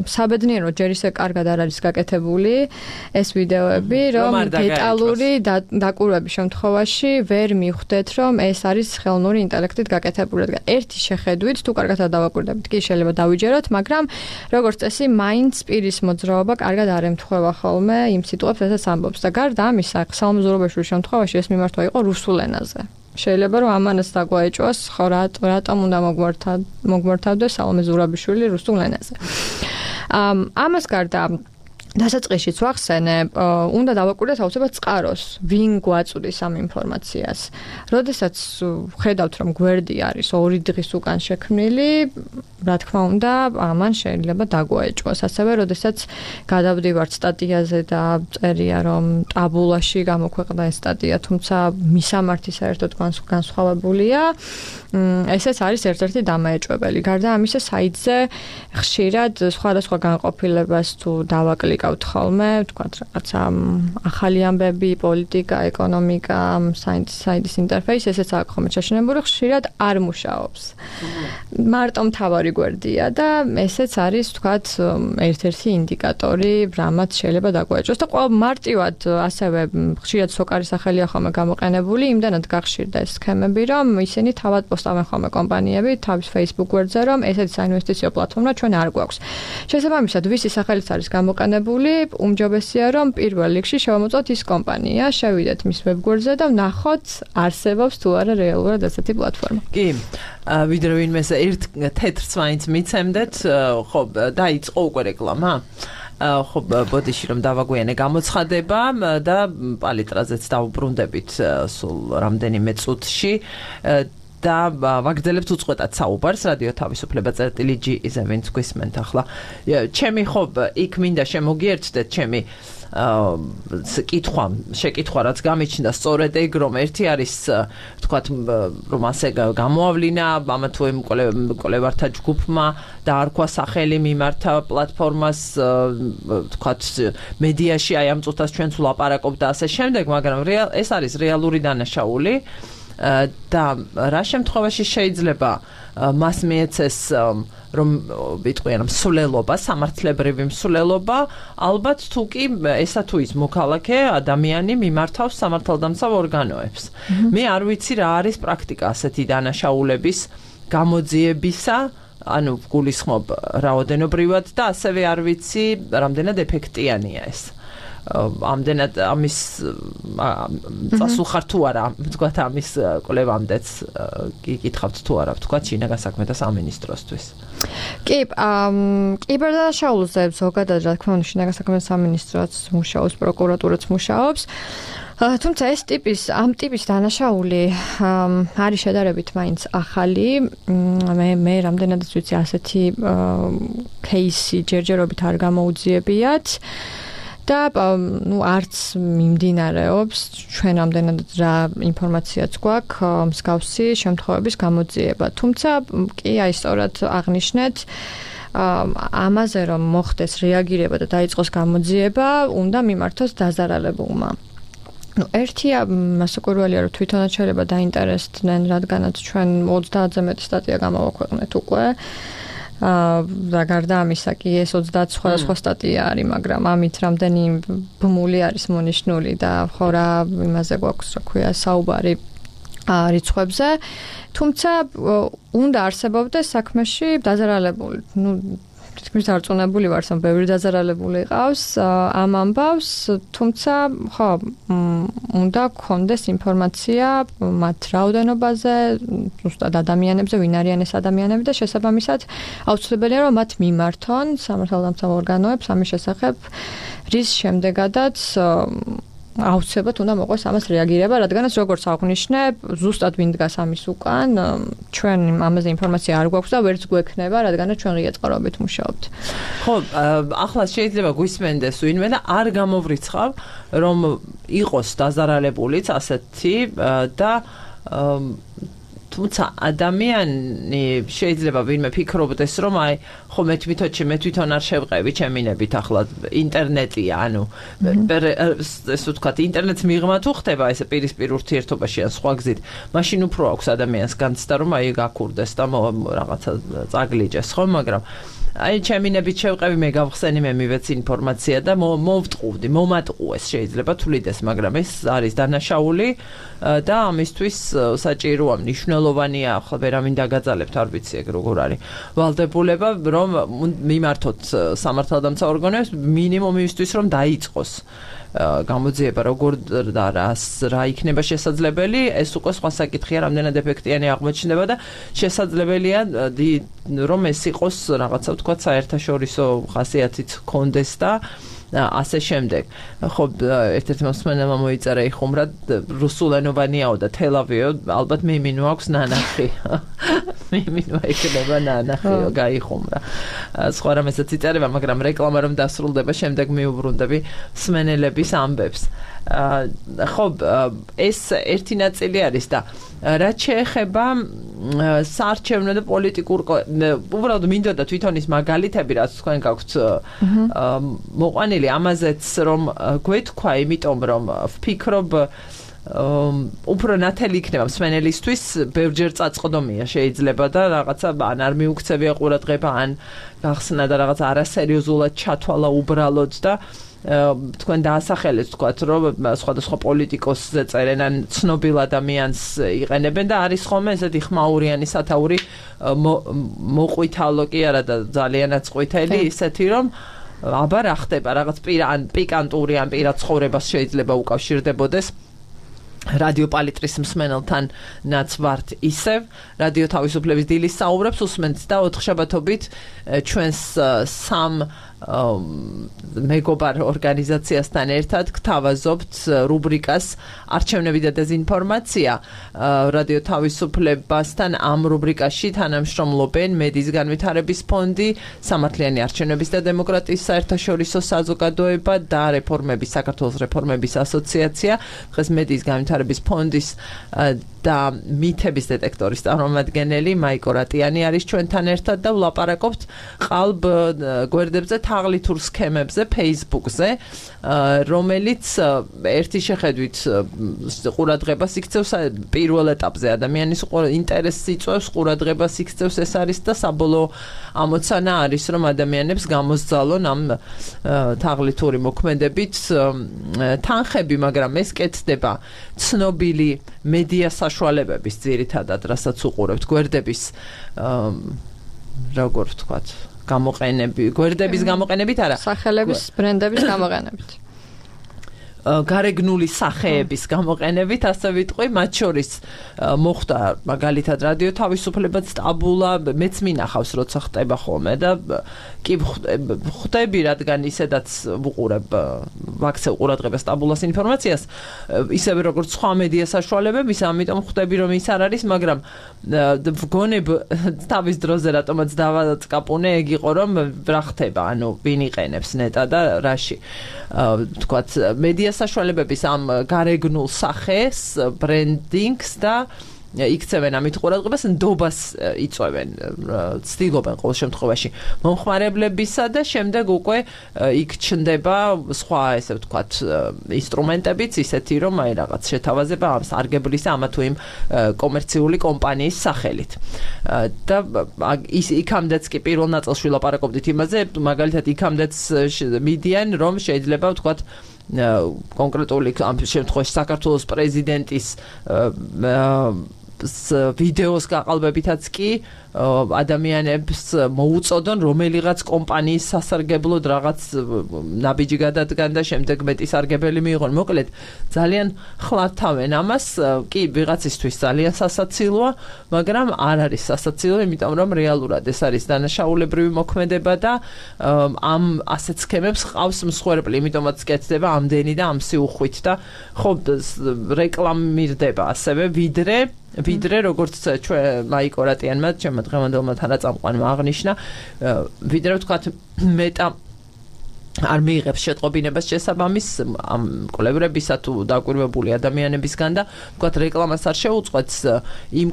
საბედნიერო ჯერ ისე კარგად არ არის გაკეთებული ეს ვიდეოები, რომ დეტალური დაკვირვების შემთხვევაში ვერ მივხვდეთ, რომ ეს არის ხელოვნური ინტელექტით გაკეთებული. ერთი შეხედვით თუ კარგად არ დავაკვირდებით, კი შეიძლება დავიჯეროთ, მაგრამ როგორც წესი, მაინც პირის მოძრაობა კარგად არ ემთხვევა ხოლმე იმ სიტყვებს, რასაც ამბობს. და გარდა ამისა, სალომე ზურაბიშვილის შემთხვევაში ეს მიმართვა იყო რუსულ ენაზე. შეიძლება რომ ამანაც დაგვაეჭვას, ხო რატომ უნდა მოგვართავდეს სალომე ზურაბიშვილი რუსულ ენაზე. ამას გარდა დასაწყისშიც ვახსენე, უნდა დავაკვირდეთ აუცილებლად წყაროს, ვინ გვაწვდის ამ ინფორმაციას. როდესაც ხედავთ, რომ გვერდი არის 2 დღის უკან შექმნილი, რა თქმა უნდა, ამან შეიძლება დაგვაეჭვოს. ასევე, როდესაც გადავდივართ სტატიაზე და წერია, რომ ტაბულაში გამოქვეყნდა ეს სტატია, თუმცა მისამართი საერთოდ განსხვავებულია, ესეც არის ერთ-ერთი დამაეჭვებელი. გარდა ამისა, საიტზე ხშირად სხვადასხვა განყოფილებას თუ დავაკლიკავთ ხოლმე, თქვათ რაღაცა ახალი ამბები, პოლიტიკა, ეკონომიკა, საიტის ინტერფეისი, ესეც აქვს ხოლმე შეშინებული, ხშირად არ მუშაობს. მარტო მთავარი გვერდია და ესეც არის, თქვათ, ერთ-ერთი ინდიკატორი, რამაც შეიძლება დაგვაეჭვოს და ყველა მარტივად ასევე ხშირად სოკარის სახელია ხოლმე გამოყენებული, იმდანაც გახშირდა ეს სქემები, რომ ისინი თავად პოსტავენ ხოლმე კომპანიები თავის Facebook გვერდზე, რომ ესეთი საინვესტიციო პლატფორმა ჩვენ არ გვაქვს. შესაბამისად, ვისი სახელიც არის გამოყენებული, უმჯობესია, რომ პირველ რიგში შევამოწმოთ ის კომპანია, შევიდეთ მის ვებგვერდზე და ვნახოთ, არსებობს თუ არა რეალურად ესეთი პლატფორმა. კი, ვიდრე ვინმეს ერთ თეთრს მაინც მიცემდეთ, ხო, დაიწყო უკვე რეკლამა. ხო, ბოდიში რომ დავაგვიანე გამოცხადება და პალიტრაზეც დავუბრუნდებით სულ რამდენიმე წუთში. და ვაგრძელებთ უწყვეტად საუბარს რადიო თავისუფლება.gi-ზე ვინც გვისმენთ ახლა. ჩემი ხო იქ მინდა შემოგიერთდეთ ჩემი შეკითხვა რაც გამიჩნდა სწორედ ეგ რომ ერთი არის თქვათ რომ ასე გამოავლინა ამა თუ იმ კოლევართა ჯგუფმა და არქვა სახელი მიმართა პლატფორმას თქვათ მედიაში აი ამ წუთას ჩვენც ვლაპარაკობთ და ასე შემდეგ, მაგრამ ეს არის რეალური დანაშაული. და რა შემთხვევაში შეიძლება მას მიეცეს რომ ვიტყვიან მსვლელობა, სამართლებრივი მსვლელობა, ალბათ თუ კი ესა თუ ის მოქალაქე ადამიანი მიმართავს სამართალდამცავ ორგანოებს. მე არ ვიცი რა არის პრაქტიკა ასეთი დანაშაულების გამოძიებისა, ანუ გულისხმობ რაოდენობრივად და ასევე არ ვიცი რამდენად ეფექტიანია ეს. ამდენად ამის წასულხარ თუ არა, თქვათ ამის კვლევამდეც გიკითხავთ თუ არა, თქვათ შინაგან საქმეთა სამინისტროსთვის. კი, კიბერდანაშაულზე ზოგადად რა თქმა უნდა შინაგან საქმეთა სამინისტროც მუშაობს, პროკურატურაც მუშაობს. თუმცა ამ ტიპის დანაშაული არის შედარებით მაინც ახალი. მე რამდენადაც ვიცი ასეთი кейსი ჯერჯერობით არ გამოუძიებიათ. და არც მიმდინარეობს ჩვენ ამდენად რა ინფორმაციაც გვაქვს მსგავსი შემთხვევების გამოძიება. თუმცა კი აი სწორად აღნიშნეთ ამაზე რომ მოხდეს რეაგირება და დაიწყოს გამოძიება, უნდა მიმართოს დაზარალებულმა. ერთია მასაკურველია რომ თვითონაც შეიძლება დაინტერესდნენ, რადგანაც ჩვენ 30-ზე მეტი სტატია გამოვაქვეყნეთ უკვე. და გარდა ამისა კი ეს 30 სხვადასხვა სტატია არის, მაგრამ ამით რამდენი ბმული არის მონიშნული და ხო რა იმაზე გვაქვს რა ქვია საუბარი რიცხვებზე. თუმცა უნდა არსებობდეს საქმეში დაზარალებული. თითქმის დარწმუნებული ვარ, რომ ბევრი დაზარალებული ყავს ამ ამბავს, თუმცა ხო უნდა გქონდეს ინფორმაცია მათ რაოდენობაზე, ზუსტად ადამიანებზე, ვინ არიან ეს ადამიანები და შესაბამისად აუცილებელია რომ მათ მიმართონ სამართალდამცავ ორგანოებს ამის შესახებ, რის შემდეგადაც აუცილებლად უნდა მოყვეს ამას რეაგირება, რადგანაც როგორც აღნიშნე, ზუსტად ვინ დგას ამის უკან, ჩვენ ამაზე ინფორმაცია არ გვაქვს და ვერც გვექნება, რადგანაც ჩვენ ღია წყაროებით მუშაობთ. ხო, ახლა შეიძლება გვისმენდეს ვინმე და არ გამოვრიცხავ, რომ იყოს დაზარალებულიც ასეთი და თუმცა ადამიანი შეიძლება ვინმე ფიქრობდეს, რომ აი ხო მე თვითონ არ შევყევი ჩემინებით ახლა ინტერნეტია, ანუ ესე ვთქვათ, ინტერნეტს მიღმა თუ ხდება ესე პირისპირ ურთიერთობაში ან სხვა გზით, მაშინ უფრო აქვს ადამიანს განცდა, რომ აი გაქურდეს და რაღაცა წაგლიჯეს, ხო, მაგრამ აი ჩემინებით შევყევი, მე გავხსენი, მე მივეცი ინფორმაცია და მოვტყუდი, მომატყუეს შეიძლება თulides, მაგრამ ეს არის დანაშაული და ამისთვის საჭიროა მნიშვნელოვანია, ახლა ვერავინ დაგაძალებთ, არ ვიცი ეგ როგორ არის ვალდებულება, რომ მიმართოთ სამართალდამცავ ორგანოებს მინიმუმ იმისთვის, რომ დაიწყოს გამოძიება როგორ და რა იქნება შესაძლებელი, ეს უკვე სხვა საკითხია, რამდენად ეფექტიანი აღმოჩნდება და შესაძლებელია რომ ეს იყოს რაღაცა ვთქვათ საერთაშორისო ხასიათით კონდეს და ასე შემდეგ. ხო, ერთ-ერთი მოსმენელმა მოიწერა იხუმრად რუსულენოვანიაო და თელავიო, ალბათ მიმინო აქვს ნანახი. მიმინვა იქნება ნანახიო გაიხუმრა სხვა რამესაც იწერება მაგრამ რეკლამა რომ დასრულდება შემდეგ მიუბრუნდები მსმენელების ამბებს ხო ეს ერთი ნაწილი არის და რაც შეეხება საარჩევნო და პოლიტიკურ უბრალოდ მინდოდა თვითონ ის მაგალითები რაც თქვენ გაქვთ მოყვანილი ამაზეც რომ გვეთქვა იმიტომ რომ ვფიქრობ უფრო ნათელი იქნება მსმენელისთვის ბევრჯერ წაწყდომია შეიძლება და რაღაცა ან არ მიუქცევია ყურადღება ან გახსნა და რაღაც არასერიოზულად ჩათვალა უბრალოდ და თქვენ დაასახელეთ თქვათ რომ სხვადასხვა პოლიტიკოსზე წერენ ან ცნობილ ადამიანს იყენებენ და არის ხოლმე ესეთი ხმაურიანი სათაური მოყვითალო კი არა და ძალიანაც ყვითელი ისეთი რომ აბა რა ხდება რაღაც ან პიკანტური ან პირად ცხოვრებას შეიძლება უკავშირდებოდეს რადიო პალიტრის მსმენელთან ნაცვართ ისევ რადიო თავისუფლების დილის საუბრებს უსმენთ და ოთხშაბათობით ჩვენს სამ მეგობარ ორგანიზაციასთან ერთად გთავაზობთ რუბრიკას არჩევნები და დეზინფორმაცია რადიო თავისუფლებასთან ამ რუბრიკაში თანამშრომლობენ მედიის განვითარების ფონდი სამართლიანი არჩევნების და დემოკრატიის საერთაშორისო საზოგადოება და საქართველოს რეფორმების ასოციაცია დღეს მედიის განვითარების ფონდის და მითების დეტექტორის წარმომადგენელი მაიკო რატიანი არის ჩვენთან ერთად და ვლაპარაკობთ ყალბ გვერდებზე თაღლითურ სქემებზე Facebook-ზე რომელიც ერთი შეხედვით ყურადღებას იქცევს პირველ ეტაპზე ადამიანის ინტერესს იწვევს ყურადღებას იქცევს ეს არის და საბოლოო ამოცანა არის რომ ადამიანებს გამოსძალონ ამ თაღლითური მოქმედებით თანხები მაგრამ ეს კეთდება ცნობილი მედია საშუალებების ძირითადად რასაც უყურებთ გვერდების როგორ ვთქვათ გვერდების გამოყენებით არა სახელების ბრენდების გამოყენებით გარეგნული სახეების გამოყენებით ასე ვიტყვი მათ შორის მოხდა მაგალითად რადიო თავისუფლებას სტაბულა მეც მინახავს როცა ხდება ხოლმე და კი ხვდები რადგან ისედაც ვუყურებ ვაქცევ ყურადღებას სტაბულას ინფორმაციას ისევე როგორც სხვა მედია საშუალებების ამიტომ ხვდები რომ ის არ არის მაგრამ ვგონებ თავის დროზე რატომაც დავაკაპუნე ეგ იყო რომ რა ხდება ანუ ვინ იყენებს ნეტა და რაში ვთქვათ მედია საშუალებების ამ გარეგნულ სახეს ბრენდინგს და იქცევენ ამით ყურადღებას ნდობას იწვევენ ცდილობენ ყოველ შემთხვევაში მომხმარებლებისა და შემდეგ უკვე იქ ჩნდება სხვა ესე ვთქვათ ინსტრუმენტებიც ისეთი რომ აი რაღაც შეთავაზება ამ სარგებლის ამა თუ იმ კომერციული კომპანიის სახელით და იქამდეც კი პირველ ნაწილში ვლაპარაკობდით იმაზე მაგალითად იქამდეც მიდიან რომ შეიძლება ვთქვათ კონკრეტული ამ შემთხვევაში საქართველოს პრეზიდენტის ვიდეოს გაყალბებითაც კი ადამიანებს მოუწოდონ რომელიღაც კომპანიის სასარგებლოდ რაღაც ნაბიჯი გადადგან და შემდეგ მეტი სარგებელი მიიღონ. მოკლედ ძალიან ხლართავენ ამას, კი ვიღაცისთვის ძალიან სასაცილოა, მაგრამ არ არის სასაცილო, იმიტომ რომ რეალურად ეს არის დანაშაულებრივი მოქმედება და ამ ასეთ სქემებს ყავს მსხვერპლი, იმიტომაც კეთდება ამდენი და ამ სიუხვით და ხო რეკლამირდება ასევე ვიდრე როგორც ჩვენ მაიკო რატიანმა ჩემმა დღევანდელმა თანაწამყვანმა აღნიშნა ვიდრე ვთქვათ მეტა არ მიიღებს შეტყობინებას შესაბამის ამ კოლებრებისა თუ დაკვირვებული ადამიანებისგან და ვთქვათ რეკლამას არ შეუწყვეტს იმ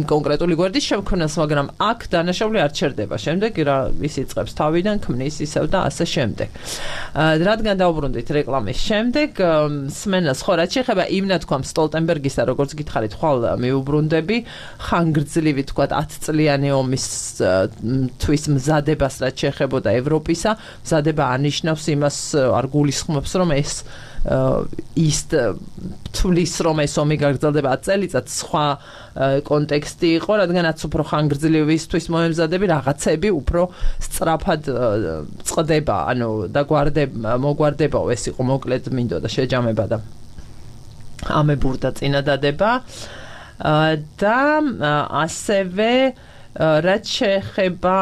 კონკრეტული გვერდის შექმნას, მაგრამ აქ დანაშაული არ ჩერდება. შემდეგ რა ის იწყებს თავიდან ქმნის ისევ და ასე შემდეგ. რადგან დავუბრუნდით რეკლამის შემდეგ, სმენას ხო რაც შეეხება იმ ნათქვამს სტოლტენბერგისა, როგორც გითხარით, ხვალ მიუბრუნდები, ხანგრძლივი თქვათ 10 წლიანი ომის თვის მზადებას რაც შეეხებოდა ევროპისა, მზადება არნიშნავს იმას, არ გულისხმობს, რომ ეს ის თulis რომ ეს ომი გაგრძელდება 10 წელიწად სხვა კონტექსტი იყო, რადგანაც უფრო ხანგრძლივისთვის მომემზადები რაღაცები უფრო სწრაფად წყდება, ანუ მოგვარდებაო ეს იყო მოკლედ მინდოდა შეჯამება და ამებურდა წინადადება და ასევე რაც შეეხება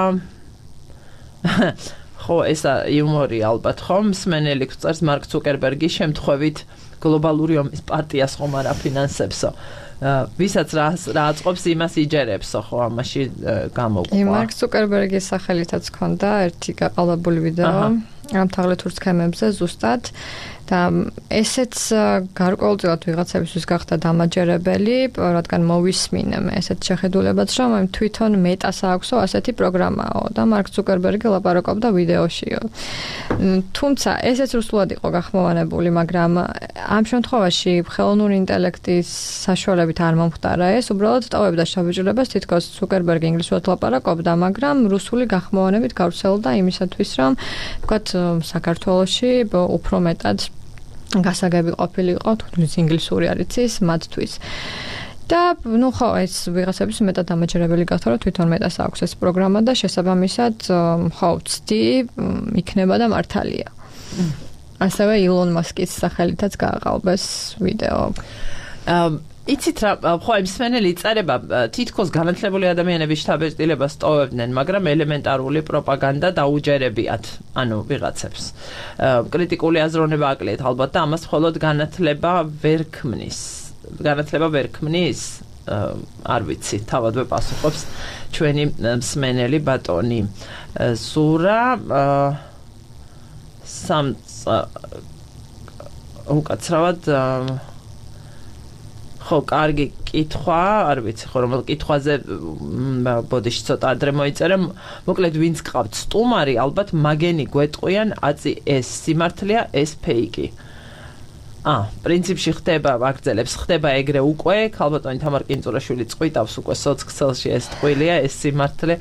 ხო ეს იუმორი ალბათ ხომ მსმენელი გვწერს მარკ ცუკერბერგის შემთხვევით გლობალური ომის პარტიას ხომ არ აფინანსებსო. ვისაც რა აწყობს იმას იჯერებსო, ხო, ამაში გამოყვა. მარკ ზუკერბერგის სახელითაც ქონდა ერთი გაყალბებული ვიდეო ამ თაღლითურ სქემებზე ზუსტად და ესეც გარკვეულწილად ვიღაცებისთვის გახდა დამაჯერებელი, რადგან მოვისმინე ესეთ შეხედულებაც, რომ ამ თვითონ მეტას აქვსო ასეთი პროგრამაო და მარკ ზუკერბერგი ლაპარაკობდა ვიდეოშიო. თუმცა ესეც რუსულად იყო გახმოვანებული, მაგრამ ამ შემთხვევაში ხელოვნური ინტელექტის საშუალებით არ მომხდარა ეს, უბრალოდ ტოვებდა შთაბეჭდილებას, თითქოს ზუკერბერგი ინგლისურად ლაპარაკობდა, მაგრამ რუსული გახმოვანებით გავრცელდა იმისათვის, რომ ვთქვათ, საქართველოში უფრო მეტად გასაგები ყოფილიყო, თუნდაც ინგლისური არ იცის მათთვის. და ნუ ხო ეს ვიღაცების მეტად დამაჯერებელი გახდა, რომ თვითონ მეტას აქვს ეს პროგრამა და შესაბამისად ხო ვცდი იქნება და მართალია. ასევე ილონ მასკის სახელითაც გააყალბეს ვიდეო. იცით რა, ხო იმ მსმენელი იწერება თითქოს განათლებული ადამიანების შთაბეჭდილებას ტოვებდნენ, მაგრამ ელემენტარული პროპაგანდა დაუჯერებიათ, ანუ ვიღაცებს. კრიტიკული აზროვნება აკლიათ ალბათ და ამას მხოლოდ განათლება ვერ ქმნის. არ ვიცი, თავადვე პასუხობს ჩვენი მსმენელი ბატონი ზურა უკაცრავად ხო, კარგი კითხვა, არ ვიცი ხო რომელ კითხვაზე ბოდიში ცოტა ადრე მოიწერე, მოკლედ ვინც გყავთ სტუმარი, ალბათ მაგენი გვეტყვიან, აწი ეს სიმართლეა, ეს ფეიკი. პრინციპში ხდება, აგრძელებს, ხდება ეგრე უკვე, ქალბატონი თამარ კინწურაშვილი წყვიტავს უკვე სოციქსელში ეს ტყუილია, ეს სიმართლე,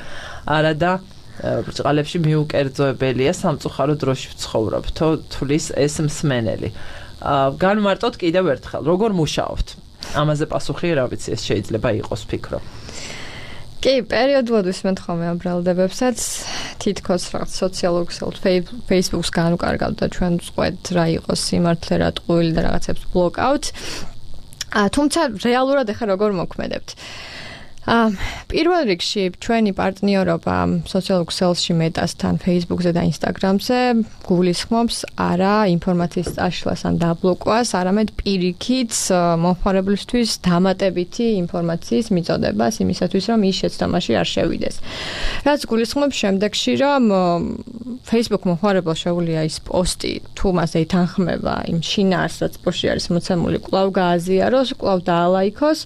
არა და ბრჭყალებში მიუკერძოებელია, სამწუხარო დროში ვცხოვრობთო, თulis ეს მსმენელი. განმარტოთ კიდევ ერთხელ, როგორ მუშაობთ? ამაზე პასუხი რა ვიცი, ეს შეიძლება იყოს ფიქრო. კი, პერიოდულად ვისმენთ ხოლმე ამ ბრალდებებსაც, თითქოს რაღაც სოციალურ ქსელთ Facebook-ს განუკარგავთ და ჩვენ ვწყვეტ რა იყოს სიმართლე, რა ტყუილი და რაღაცებს ბლოკავთ. თუმცა რეალურად ახლა როგორ მოქმედებთ? პირველ რიგში ჩვენი პარტნიორობა სოციალურ ქსელში მეტასთან Facebook-ზე და Instagram-ზე გულისხმობს არა ინფორმაციის წაშლას ან დაბლოკვას, არამედ პირიქით მომხმარებლისთვის დამატებითი ინფორმაციის მიწოდებას იმისათვის, რომ ის შეცდომაში არ შევიდეს. რაც გულისხმობს შემდეგში, რომ Facebook მომხმარებელს შეუძლია ის პოსტი თუ მასზე ითანხმება იმ შინაარს, რაც პოსტში არის მოცემული, კვლავ გააზიაროს, კვლავ დაალაიქოს.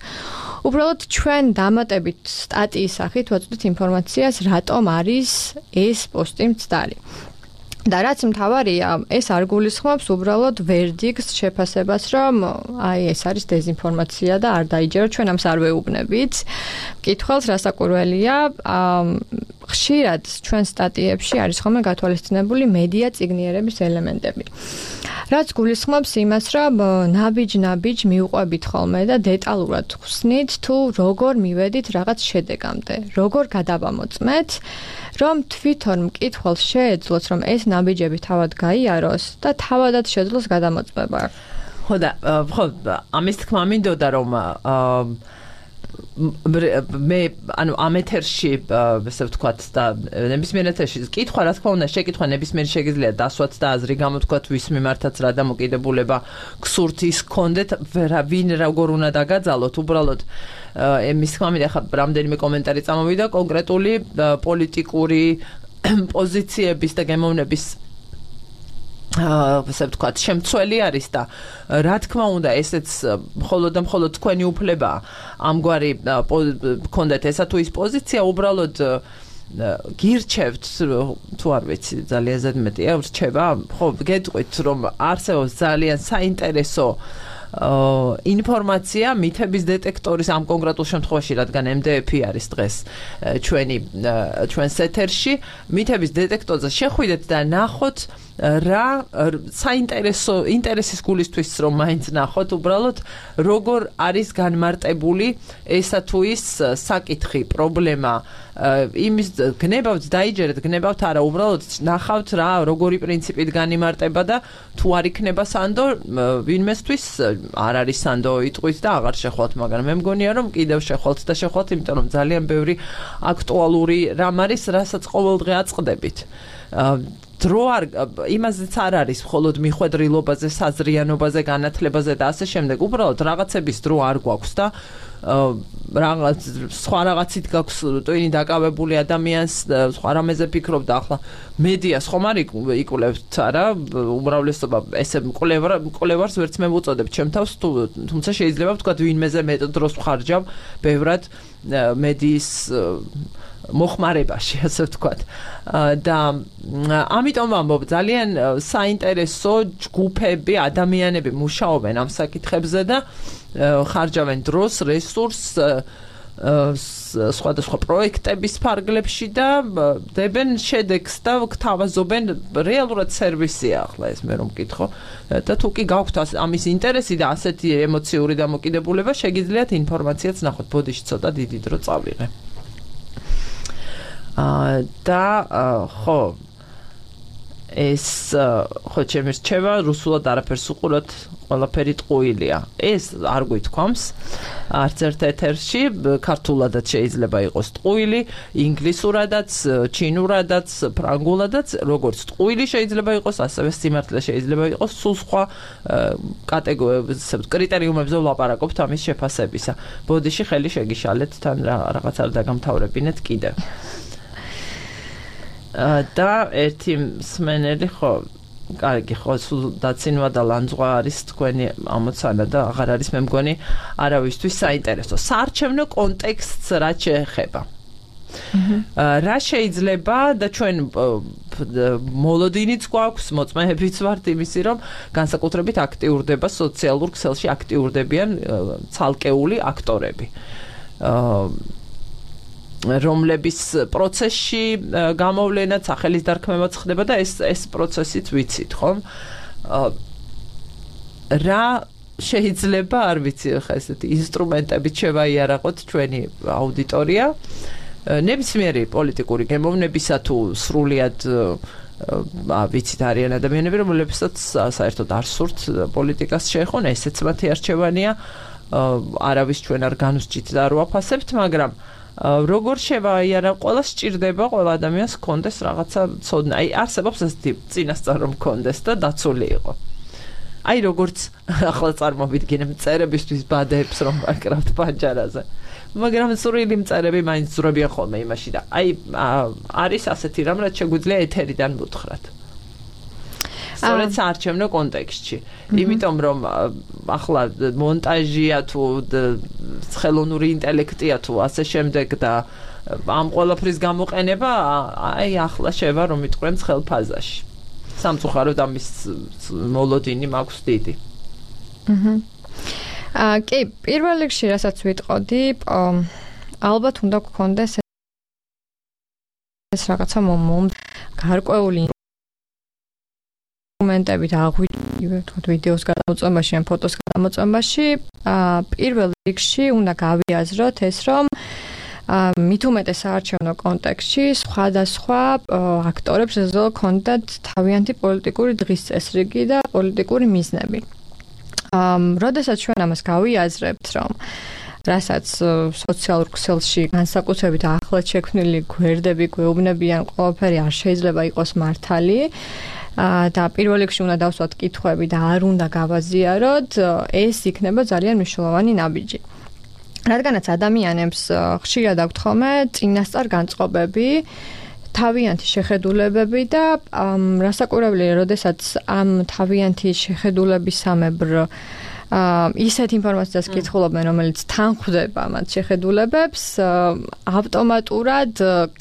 უბრალოდ ჩვენ დამატებით სტატიის სახით ვაწვდით ინფორმაციას, რატომ არის ეს პოსტი მცდარი. და რაც მთავარია, ეს არ გულისხმობს უბრალოდ ვერდიქტს შეფასებას, რომ აი ეს არის დეზინფორმაცია და არ დაიჯერო, ჩვენ ამს არ ვეუბნებით. მკითხველს რასაკვირველია, ხშირად ჩვენ სტატიებში არის ხოლმე გათვალისწინებული მედია წიგნიერების ელემენტები. რაც გულისხმობს იმას, რომ ნაბიჯ-ნაბიჯ მიუყვებით ხოლმე და დეტალურად ხსნით, თუ როგორ მივედით რაღაც შედეგამდე, როგორ გადავამოწმეთ, რომ თვითონ მკითხველს შეეძლოს, რომ ეს ნაბიჯები თავად გაიაროს და თავადაც შეძლოს გადამოწმება. ხო და ხო ამის თქმა მინდოდა, რომ მე ანუ ამ ეთერში ესე ვთქვათ და ნებისმიერ ეთერში კითხვა რა თქმა უნდა შეკითხვა ნებისმიერ შეგიძლია დასვათ და აზრი გამოთქვათ ვის მიმართაც რა დამოკიდებულება გსურთ ის გქონდეთ ვინ როგორ უნდა დაგაძალოთ უბრალოდ εμείς თქმა მინდა ხა რამდენიმე კომენტარი წამოვიდა კონკრეტული პოლიტიკური პოზიციების და გემოვნების ასე ვთქვათ, შემცველი არის და რა თქმა უნდა, ესეც მხოლოდ და მხოლოდ თქვენი უფლებაა. ამგვარი გქონდეთ ესა თუ ის პოზიცია, უბრალოდ გირჩევთ, თუ არ ვიცი, ძალიან ზედმეტია, რჩება, ხო, გეტყვით, რომ არსებობს ძალიან საინტერესო ინფორმაცია მითების დეტექტორის ამ კონკრეტულ შემთხვევაში, რადგან MDF-ი არის დღეს ჩვენს ეთერში, მითების დეტექტორზე შეხვიდეთ და ნახოთ რა საინტერესო ინტერესის გულისთვის რომ მაინც ნახოთ უბრალოდ როგორ არის განმარტებული ესა თუ ის საკითხი პრობლემა იმის გნებავთ დაიჯერეთ, გნებავთ არა, უბრალოდ ნახავთ რა, როგორი პრინციპით განიმარტება და თუ არ იქნება სანდო, ვინმესთვის არ არის სანდო იტყვით და აღარ შეხვალთ, მაგრამ მე მგონია რომ კიდევ შეხვალთ და შეხვალთ, იმიტომ რომ ძალიან ბევრი აქტუალური რამ არის, რასაც ყოველდღე აწყდებით. დრო არ იმაზეც არ არის მხოლოდ მიხვედრილობაზე, საზრიანობაზე, განათლებაზე და ასე შემდეგ. უბრალოდ რაღაცების დრო არ გვაქვს და რაღაც სხვა რაღაცით გაქვს ტვინი დაკავებული ადამიანს სხვა რამეზე ფიქრობ და ახლა მედიას ხომ არ იკვლევთ არა უმრავლესობა ესე მკვლევარს ვერც მე ვუწოდებ ჩემ თავს თუმცა შეიძლება ვთქვა ვინმეზე მეტ დროს ვხარჯავ ბევრად მედიის მოხმარებაში ასე ვთქვათ და ამიტომ ვამბობ ძალიან საინტერესო ჯგუფები ადამიანები მუშაობენ ამ საკითხებზე და ხარჯავენ დროს რესურსს სხვადასხვა პროექტების ფარგლებში და დებენ შედეგს და გთავაზობენ რეალურად სერვისია ახლა ეს მე რომ მკითხო და თუ კი გაქვთ ამის ინტერესი და ასეთი ემოციური დამოკიდებულება შეგიძლიათ ინფორმაციაც ნახოთ ბოდიში ცოტა დიდი დრო წავიღე და ხო ეს ხო ჩემი რჩევა რუსულად არაფერს უყუროთ ყველაფერი ტყუილია ეს არ გვითქვამს არც ერთ ეთერში ქართულადაც შეიძლება იყოს ტყუილი ინგლისურადაც ჩინურადაც ფრანგულადაც როგორც ტყუილი შეიძლება იყოს ასევე სიმართლე შეიძლება იყოს სულ სხვა კრიტერიუმებზე ვლაპარაკობთ ამის შეფასებისა ბოდიში ხელი შეგიშალეთ თან რაღაც არ დაგამთავრებინეთ კიდევ და ერთი მსმენელი ხო კარგი ხო სულ დაცინვა და ლანძღვა არის თქვენი ამოცანა და აღარ არის მე მგონი არავისთვის საინტერესო საარჩევნო კონტექსტს რა შეეხება რა შეიძლება და ჩვენ მოლოდინიც გვაქვს მოწმეებიც ვართ იმისი რომ განსაკუთრებით აქტიურდება სოციალურ ქსელში აქტიურდებიან ცალკეული აქტორები რომლების პროცესში გამოვლენაც სახელის დარქმევაც ხდება და ეს პროცესიც ვიცით, ხომ? რა შეიძლება არ ვიცი ხა ესეთი ინსტრუმენტებით შევაიარაღოთ ჩვენი აუდიტორია ნებისმიერი პოლიტიკური გემოვნებისა თუ სრულიად ვიცით არიან ადამიანები რომლებსაც საერთოდ არ სურთ პოლიტიკას შეეხონ ესეც მათი არჩევანია არავის ჩვენ არ განვსჭით და არ ვაფასებთ მაგრამ როგორ შევაიარა ყველას სჭირდება ყველა ადამიანს კონდეს რაღაცა ცოდნა აი არსებობს ესეთი წინასწარ რომ კონდეს და დაცული იყო აი როგორც ახლა წარმოვიდგინე მწერებისთვის ბადეებს რომ ვაკრავთ პანჯარაზე მაგრამ სრული მწერები მაინც ზრებიან ხოლმე იმაში და აი არის ასეთი რამ რაც შეგვიძლია ეთერიდან მუთხრათ სწორედ საარჩევნო კონტექსტში იმიტომ რომ ახლა მონტაჟია თუ ხელოვნური ინტელექტია თუ ასე შემდეგ და ამ ყველაფრის გამოყენება აი ახლა შევა რომ იტყვენ ხელფაზაში სამწუხაროდ ამის მოლოდინი მაქვს დიდი კი პირველ რიგში რასაც ვიტყოდი ალბათ უნდა გქონდეს ეს რაღაცა გარკვეული დოკუმენტებით აღვიქვათ ვიდეოს გადამოწმებაში ან ფოტოს გადამოწმებაში პირველ რიგში უნდა გავიაზროთ ეს რომ მით უმეტეს საარჩევნო კონტექსტში სხვადასხვა აქტორებს შეძლო ქონდათ თავიანთი პოლიტიკური დღის წესრიგი და პოლიტიკური მიზნები. როდესაც ჩვენ ამას გავიაზრებთ რომ რასაც სოციალურ ქსელში განსაკუთრებით ახლად შექმნილი გვერდები გვეუბნებიან ყველაფერი არ შეიძლება იყოს მართალი და პირველ რიგში უნდა დავსვათ კითხვები და არ უნდა გავაზიაროთ ეს იქნება ძალიან მნიშვნელოვანი ნაბიჯი რადგანაც ადამიანებს ხშირად აქვთ ხოლმე წინასწარ განწყობები თავიანთი შეხედულებები და რასაკურველია როდესაც ამ თავიანთი შეხედულებისამებრ ისეთ ინფორმაციას კითხულობენ, რომელიც თან ხვდება მათ შეხედულებებს, ავტომატურად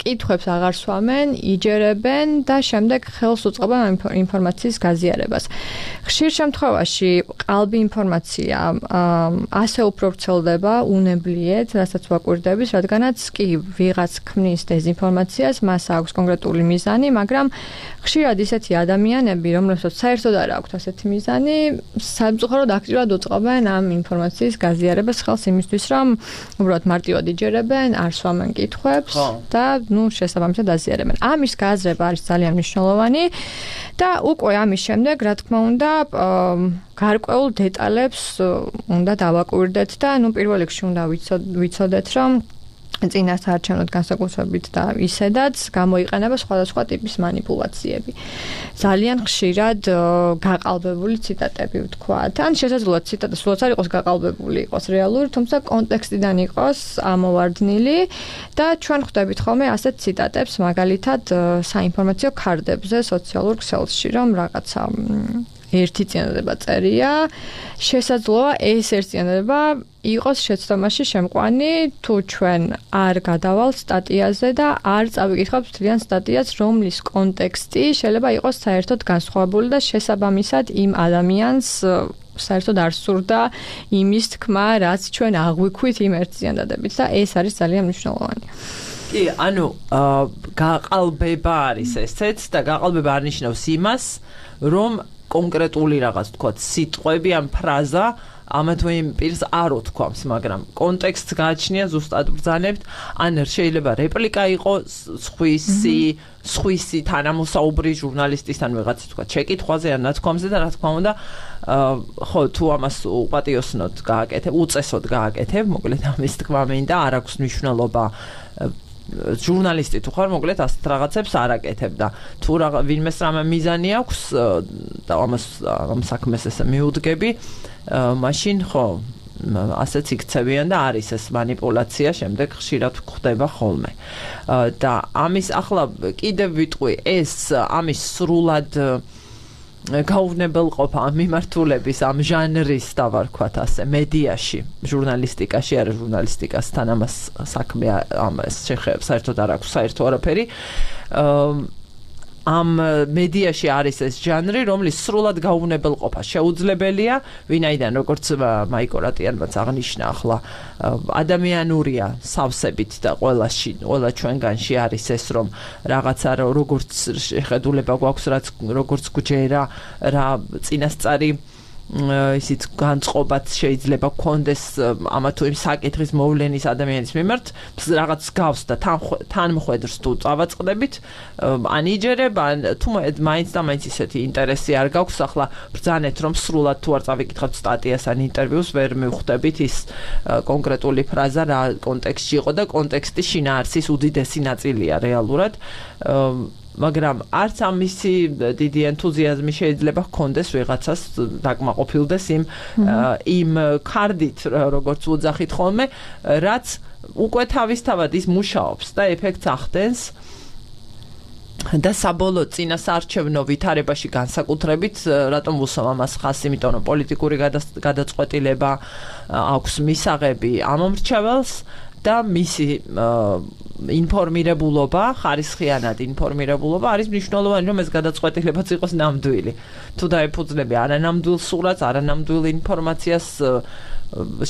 კითხვებს აღარ სვამენ, იჯერებენ და შემდეგ ხელს უწყობენ ამ ინფორმაციის გაზიარებას. ხშირ შემთხვევაში ყალბი ინფორმაცია ასე უფრო ვრცელდება უნებლიეთ, რასაც ვაკვირდებით, რადგანაც კი ვიღაც ქმნის დეზინფორმაციას, მას აქვს კონკრეტული მიზანი, მაგრამ ხშირად ისეთი ადამიანები, რომლებსაც საერთოდ არ აქვთ ასეთი მიზანი, სამწუხაროდ აქტიურად უწყობენ ამ ინფორმაციის გაზიარებას ხელს იმისთვის, რომ უბრალოდ მარტივად იჯერებენ, არ სვამენ კითხვებს და შესაბამისად აზიარებენ. ამის გააზრება არის ძალიან მნიშვნელოვანი და უკვე ამის შემდეგ, რა თქმა უნდა, გარკვეულ დეტალებს უნდა დავაკვირდეთ და პირველ რიგში უნდა ვიცოდეთ, რომ წინასაარჩევნო განსაკუთრებით და ისედაც გამოიყენება სხვადასხვა ტიპის манипуляციები. ძალიან ხშირად გაყალბებული ციტატები ვთქვათ. ან შესაძლოა ციტატა სულაც არ იყოს გაყალბებული, იყოს რეალური, თუმცა კონტექსტიდან იყოს ამოვარდნილი და ჩვენ ხვდებით ხოლმე ასეთ ციტატებს მაგალითად საინფორმაციო ქარდებზე, სოციალურ ქსელში, რომ რაღაცა ერთი წინადადება წერია, შესაძლოა ეს ერთი წინადადება იყოს შეცდომაში შემყვანი, თუ ჩვენ არ გადავალთ სტატიაზე და არ წავიკითხავთ მთლიან სტატიას, რომლის კონტექსტი შეიძლება იყოს საერთოდ განსხვავებული და შესაბამისად იმ ადამიანს საერთოდ არ სურდა იმის თქმა, რაც ჩვენ აღვიქვით იმ ერთი წინადადებით და ეს არის ძალიან მნიშვნელოვანი. კი, ანუ გაყალბება არის ესეც და გაყალბება არ ნიშნავს იმას, რომ კონკრეტული რაღაც თქვათ სიტყვები ან ფრაზა ამა თუ იმ პირს არ უთქვამს, მაგრამ კონტექსტს გააჩნია ზუსტად ბრძანებთ, ან შეიძლება რეპლიკა იყოს სხვისი თანამოსაუბრი ჟურნალისტის ან ვიღაცის თქვათ შეკითხვაზე ან ნათქვამზე და რა თქმა უნდა ხო თუ ამას უპატიოსნოდ გააკეთებ, უწესოდ გააკეთებ, მოკლედ ამის თქმა მინდა, არ აქვს მნიშვნელობა ჟურნალისტი თუ ხარ, მოკლედ ასეთ რაღაცებს არ აკეთებ და თუ ვინმეს რამე მიზანი აქვს და ამ საქმეს ესე მიუდგები, მაშინ ხო ასეც იქცევიან და არის ეს манипуляცია შემდეგ ხშირად ხდება ხოლმე. და ამის ახლა კიდევ ვიტყვი, ეს ამის სრულად გაუვნებელყოფა ამ მიმართულების, ამ ჟანრის დავარქვათ ასე, მედიაში, ჟურნალისტიკაში, არა ჟურნალისტიკასთან ამას საქმე ამას შეხება, საერთოდ არ აქვს საერთო არაფერი. ამ მედიაში არის ეს ჟანრი, რომლის სრულად გაუვნებელყოფა შეუძლებელია, ვინაიდან როგორც მაიკო რატიანმაც აღნიშნა ახლა, ადამიანურია სავსებით და ყველა ჩვენგანში არის ეს, რომ რაღაცა როგორც შეხედულება გვაქვს, როგორც გვჯერა, რა წინასწარი ისიც განწყობაც შეიძლება გქონდეს ამა თუ იმ საკითხის მოვლენის ადამიანის მიმართ, რაღაც გავს და თანმხვედრს თუ წავაწყდებით, ან იჯერებ, ან თუ მაინც და მაინც ისეთი ინტერესი არ გაქვს, ახლა ბრძანეთ, რომ სრულად თუ არ წავიკითხავთ სტატიას ან ინტერვიუს, ვერ მივხვდებით ის კონკრეტული ფრაზა რა კონტექსტში იყო და კონტექსტის შინაარსის უდიდესი ნაწილია რეალურად. მაგრამ არც ამისი დიდი ენთუზიაზმი შეიძლება ჰქონდეს ვიღაცას დაკმაყოფილდეს იმ ქარდით, როგორც უძახით ხოლმე, რაც უკვე თავისთავად ის მუშაობს და ეფექტს ახდენს და საბოლოო წინასაარჩევნო ვითარებაში განსაკუთრებით, რატომ ვუსვამ ამას ხაზს, იმიტომ რომ პოლიტიკური გადაწყვეტილება აქვს მისაღები ამ მომრჩეველს და მისი ინფორმირებულობა, ხარისხიანად ინფორმირებულობა არის მნიშვნელოვანი, რომ ეს გადაწყვეტილებაც იყოს ნამდვილი. თუ დაეფუძნები არანამდვილ სურათს, არანამდვილ ინფორმაციას,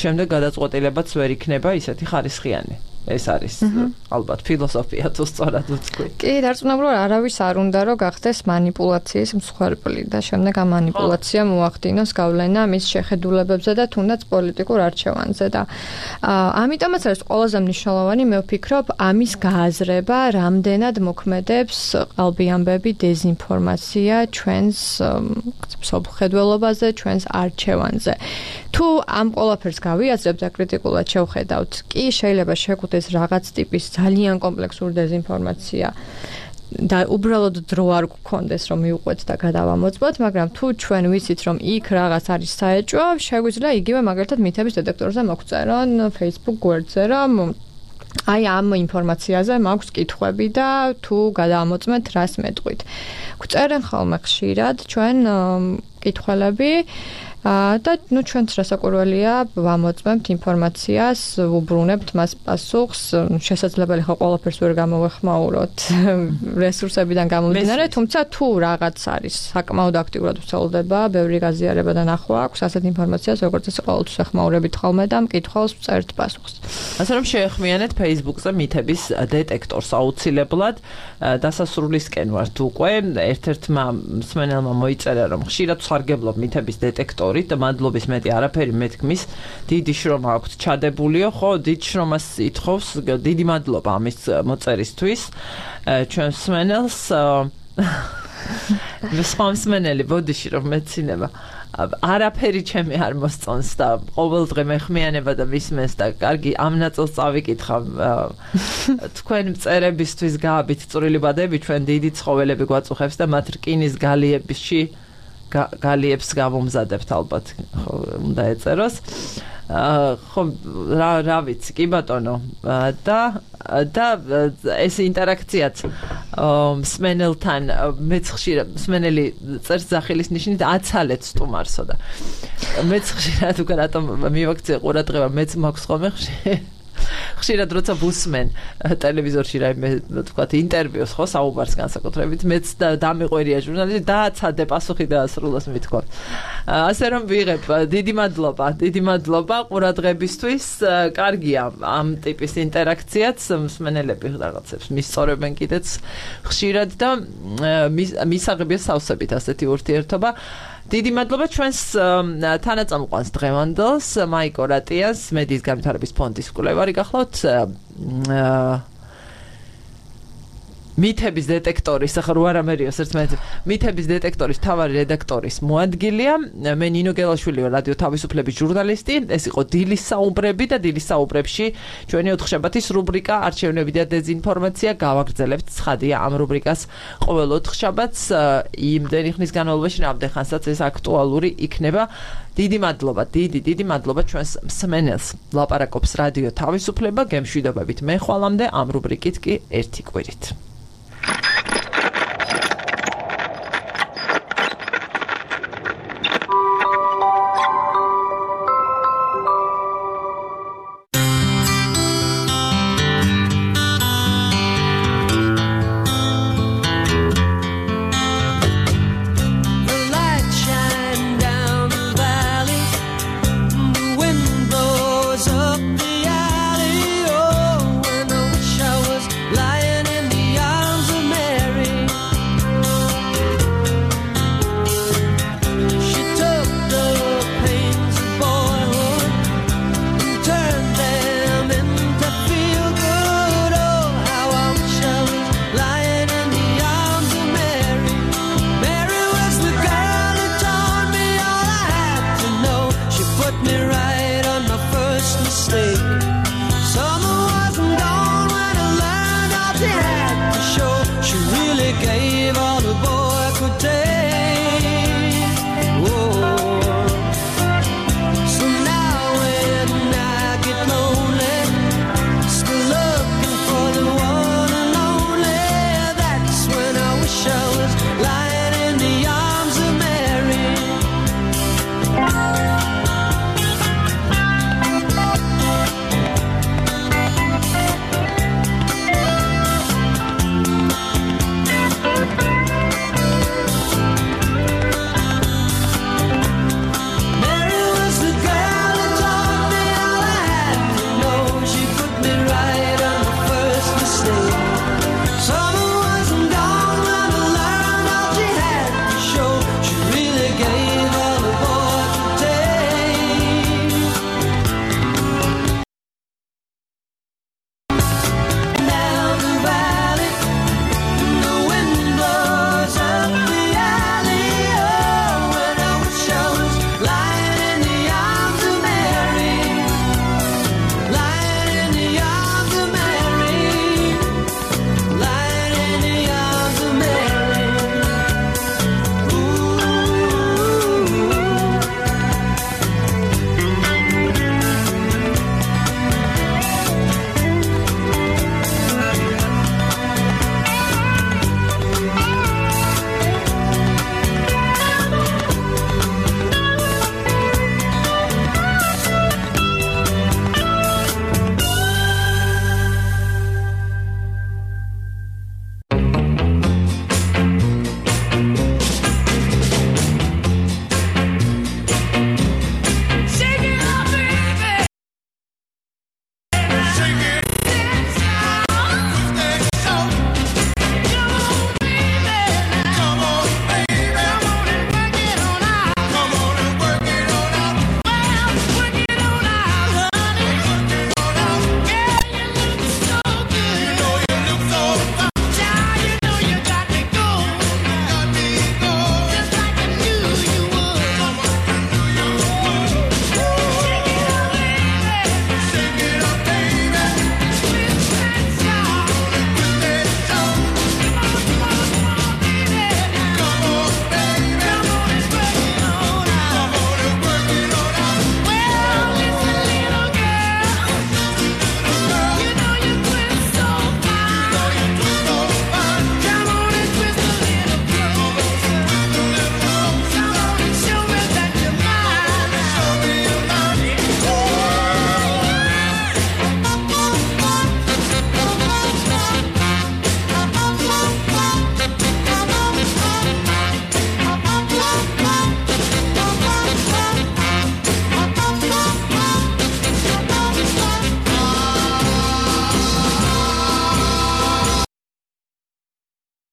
შემდეგ გადაწყვეტილებაც ვერ იქნება ისეთი ხარისხიანი. ეს არის ალბათ ფილოსოფია თუ სწორად ვთქვი. კი, დარწმუნებული არავის არ უნდა რომ გახდეს манипуляციის მსხვერპლი და შემდეგ ამ манипуляციამ მოახდინოს გავლენა მის შეხედულებებზე და თუნდაც პოლიტიკურ არჩევანზე და ამიტომაც არის ყველაზე მნიშვნელოვანი, მე ვფიქრობ, ამის გააზრება, რამდენად მოქმედებს ყალბი ამბები, დეზინფორმაცია ჩვენს მსოფლმხედველობაზე, ჩვენს არჩევანზე. თუ ამ ყველაფერს გავიაზრებთ და კრიტიკულად შევხედავთ, კი შეიძლება შეგვხვდეს რაღაც ტიპის ძალიან კომპლექსური დეზინფორმაცია და უბრალოდ დრო არ გქონდეს რომ მივყვეთ და გადავამოწმოთ, მაგრამ თუ ჩვენ ვიცით რომ იქ რაღაც არის საეჭვო, შეგვიძლია იგივე მაგალითად მითების დეტექტორზე მოგწერონ Facebook გვერდზე, რომ აი ამ ინფორმაციაზე მაქვს კითხვები და თუ გადავამოწმეთ რას მეტყვით. გვწერენ ხოლმე ხშირად ჩვენ კითხველები და ჩვენც რასაკვირველია ვამოწმებთ ინფორმაციას, ვუბრუნებთ მას პასუხს, შესაძლებელი ხო ყველაფერს ვერ გამოვეხმაუროთ რესურსებიდან გამომდინარე, თუმცა თუ რაღაც არის საკმაოდ აქტიურად ვცელდება, ბევრი გაზიარება და ნახვა აქვს, ასეთ ინფორმაციას როგორც ეს ყოველთვის ეხმაურებით ხოლმე და მკითხველს ვწერთ პასუხს. ასე რომ შეეხმიანეთ Facebook-ზე მითების დეტექტორს აუცილებლად, დასასრულისკენ ვართ უკვე. ერთ-ერთმა მსმენელმა მოიწერა, რომ ხშირად ვსარგებლობ მითების დეტექტორით და მადლობის მეტი არაფერი მეთქმის. დიდი შრომა აქვს ჩადებულიო, ხო, დიდ შრომას ითხოვს. დიდი მადლობა ამის მოწერისთვის. ჩვენ მსმენელს სხვა მსმენელი ბოდიში რომ მეცინება. არაფერი ჩემი არ მოსწონს და ყოველდღე მეხმიანება და ვისმენს და კარგი ამ ნაწილს წავიკითხავ. თქვენ მწერებისთვის გააბით წვრილი ბადები, ჩვენ დიდი ცხოველები გვაწუხებს და მათ რკინის გალიებს გავუმზადებთ ალბათ. ხო, უნდა ეწეროს. ხო, რა ვიცი, კი ბატონო. და ეს ინტერაქციაც მსმენელთან მეც ხშირად მსმენელი წერს ზახილის ნიშნით აცალეთ სტუმარსო და მეც ხშირად უკვე რატომ მივაქცე ყურადღება მეც მაქვს ხოლმე ხშირად როცა ვუსმენ ტელევიზორში რაიმე თქვათ ინტერვიუს ხო საუბარს განსაკუთრებით მეც დამიყვერია ჟურნალისტი დააცადე პასუხი დაასრულოს მithქვა. ასე რომ ვიღებ დიდი მადლობა ყურადღებისთვის. კარგია ამ ტიპის ინტერაქციაც მსმენელები რაღაცებს მისწორებენ კიდეც ხშირად და მისაღებია სავსებით ასეთი ურთიერთობა. დიდი მადლობა ჩვენს თანაწამყვანს დღევანდელს მაიკო რატიანს მედიის განვითარების ფონდის კვლევარი გახლავთ მითების დეტექტორის ახლა რო არამერიოს ერთმანეთს მითების დეტექტორის თავარი რედაქტორის მოადგილეა მე ნინო გელაშვილი ვარ რადიო თავისუფლების ჟურნალისტი ეს იყო დილის საუბრები და დილის საუბრებში ჩვენი 4 შაბათის რუბრიკა არჩევნები და დეზინფორმაცია გავაგრძელებთ ცხადია ამ რუბრიკას ყოველ 4 შაბათს იმდენი ხნის განმავლობაში რამდენხანსაც ეს აქტუალური იქნება დიდი მადლობა ჩვენს მსმენელს ლაპარაკობს რადიო თავისუფლება გემშვიდობებით მე ხვალამდე ამ რუბრიკით კი ერთი კვირით Summer wasn't gone when I learned all she had to show. She really gave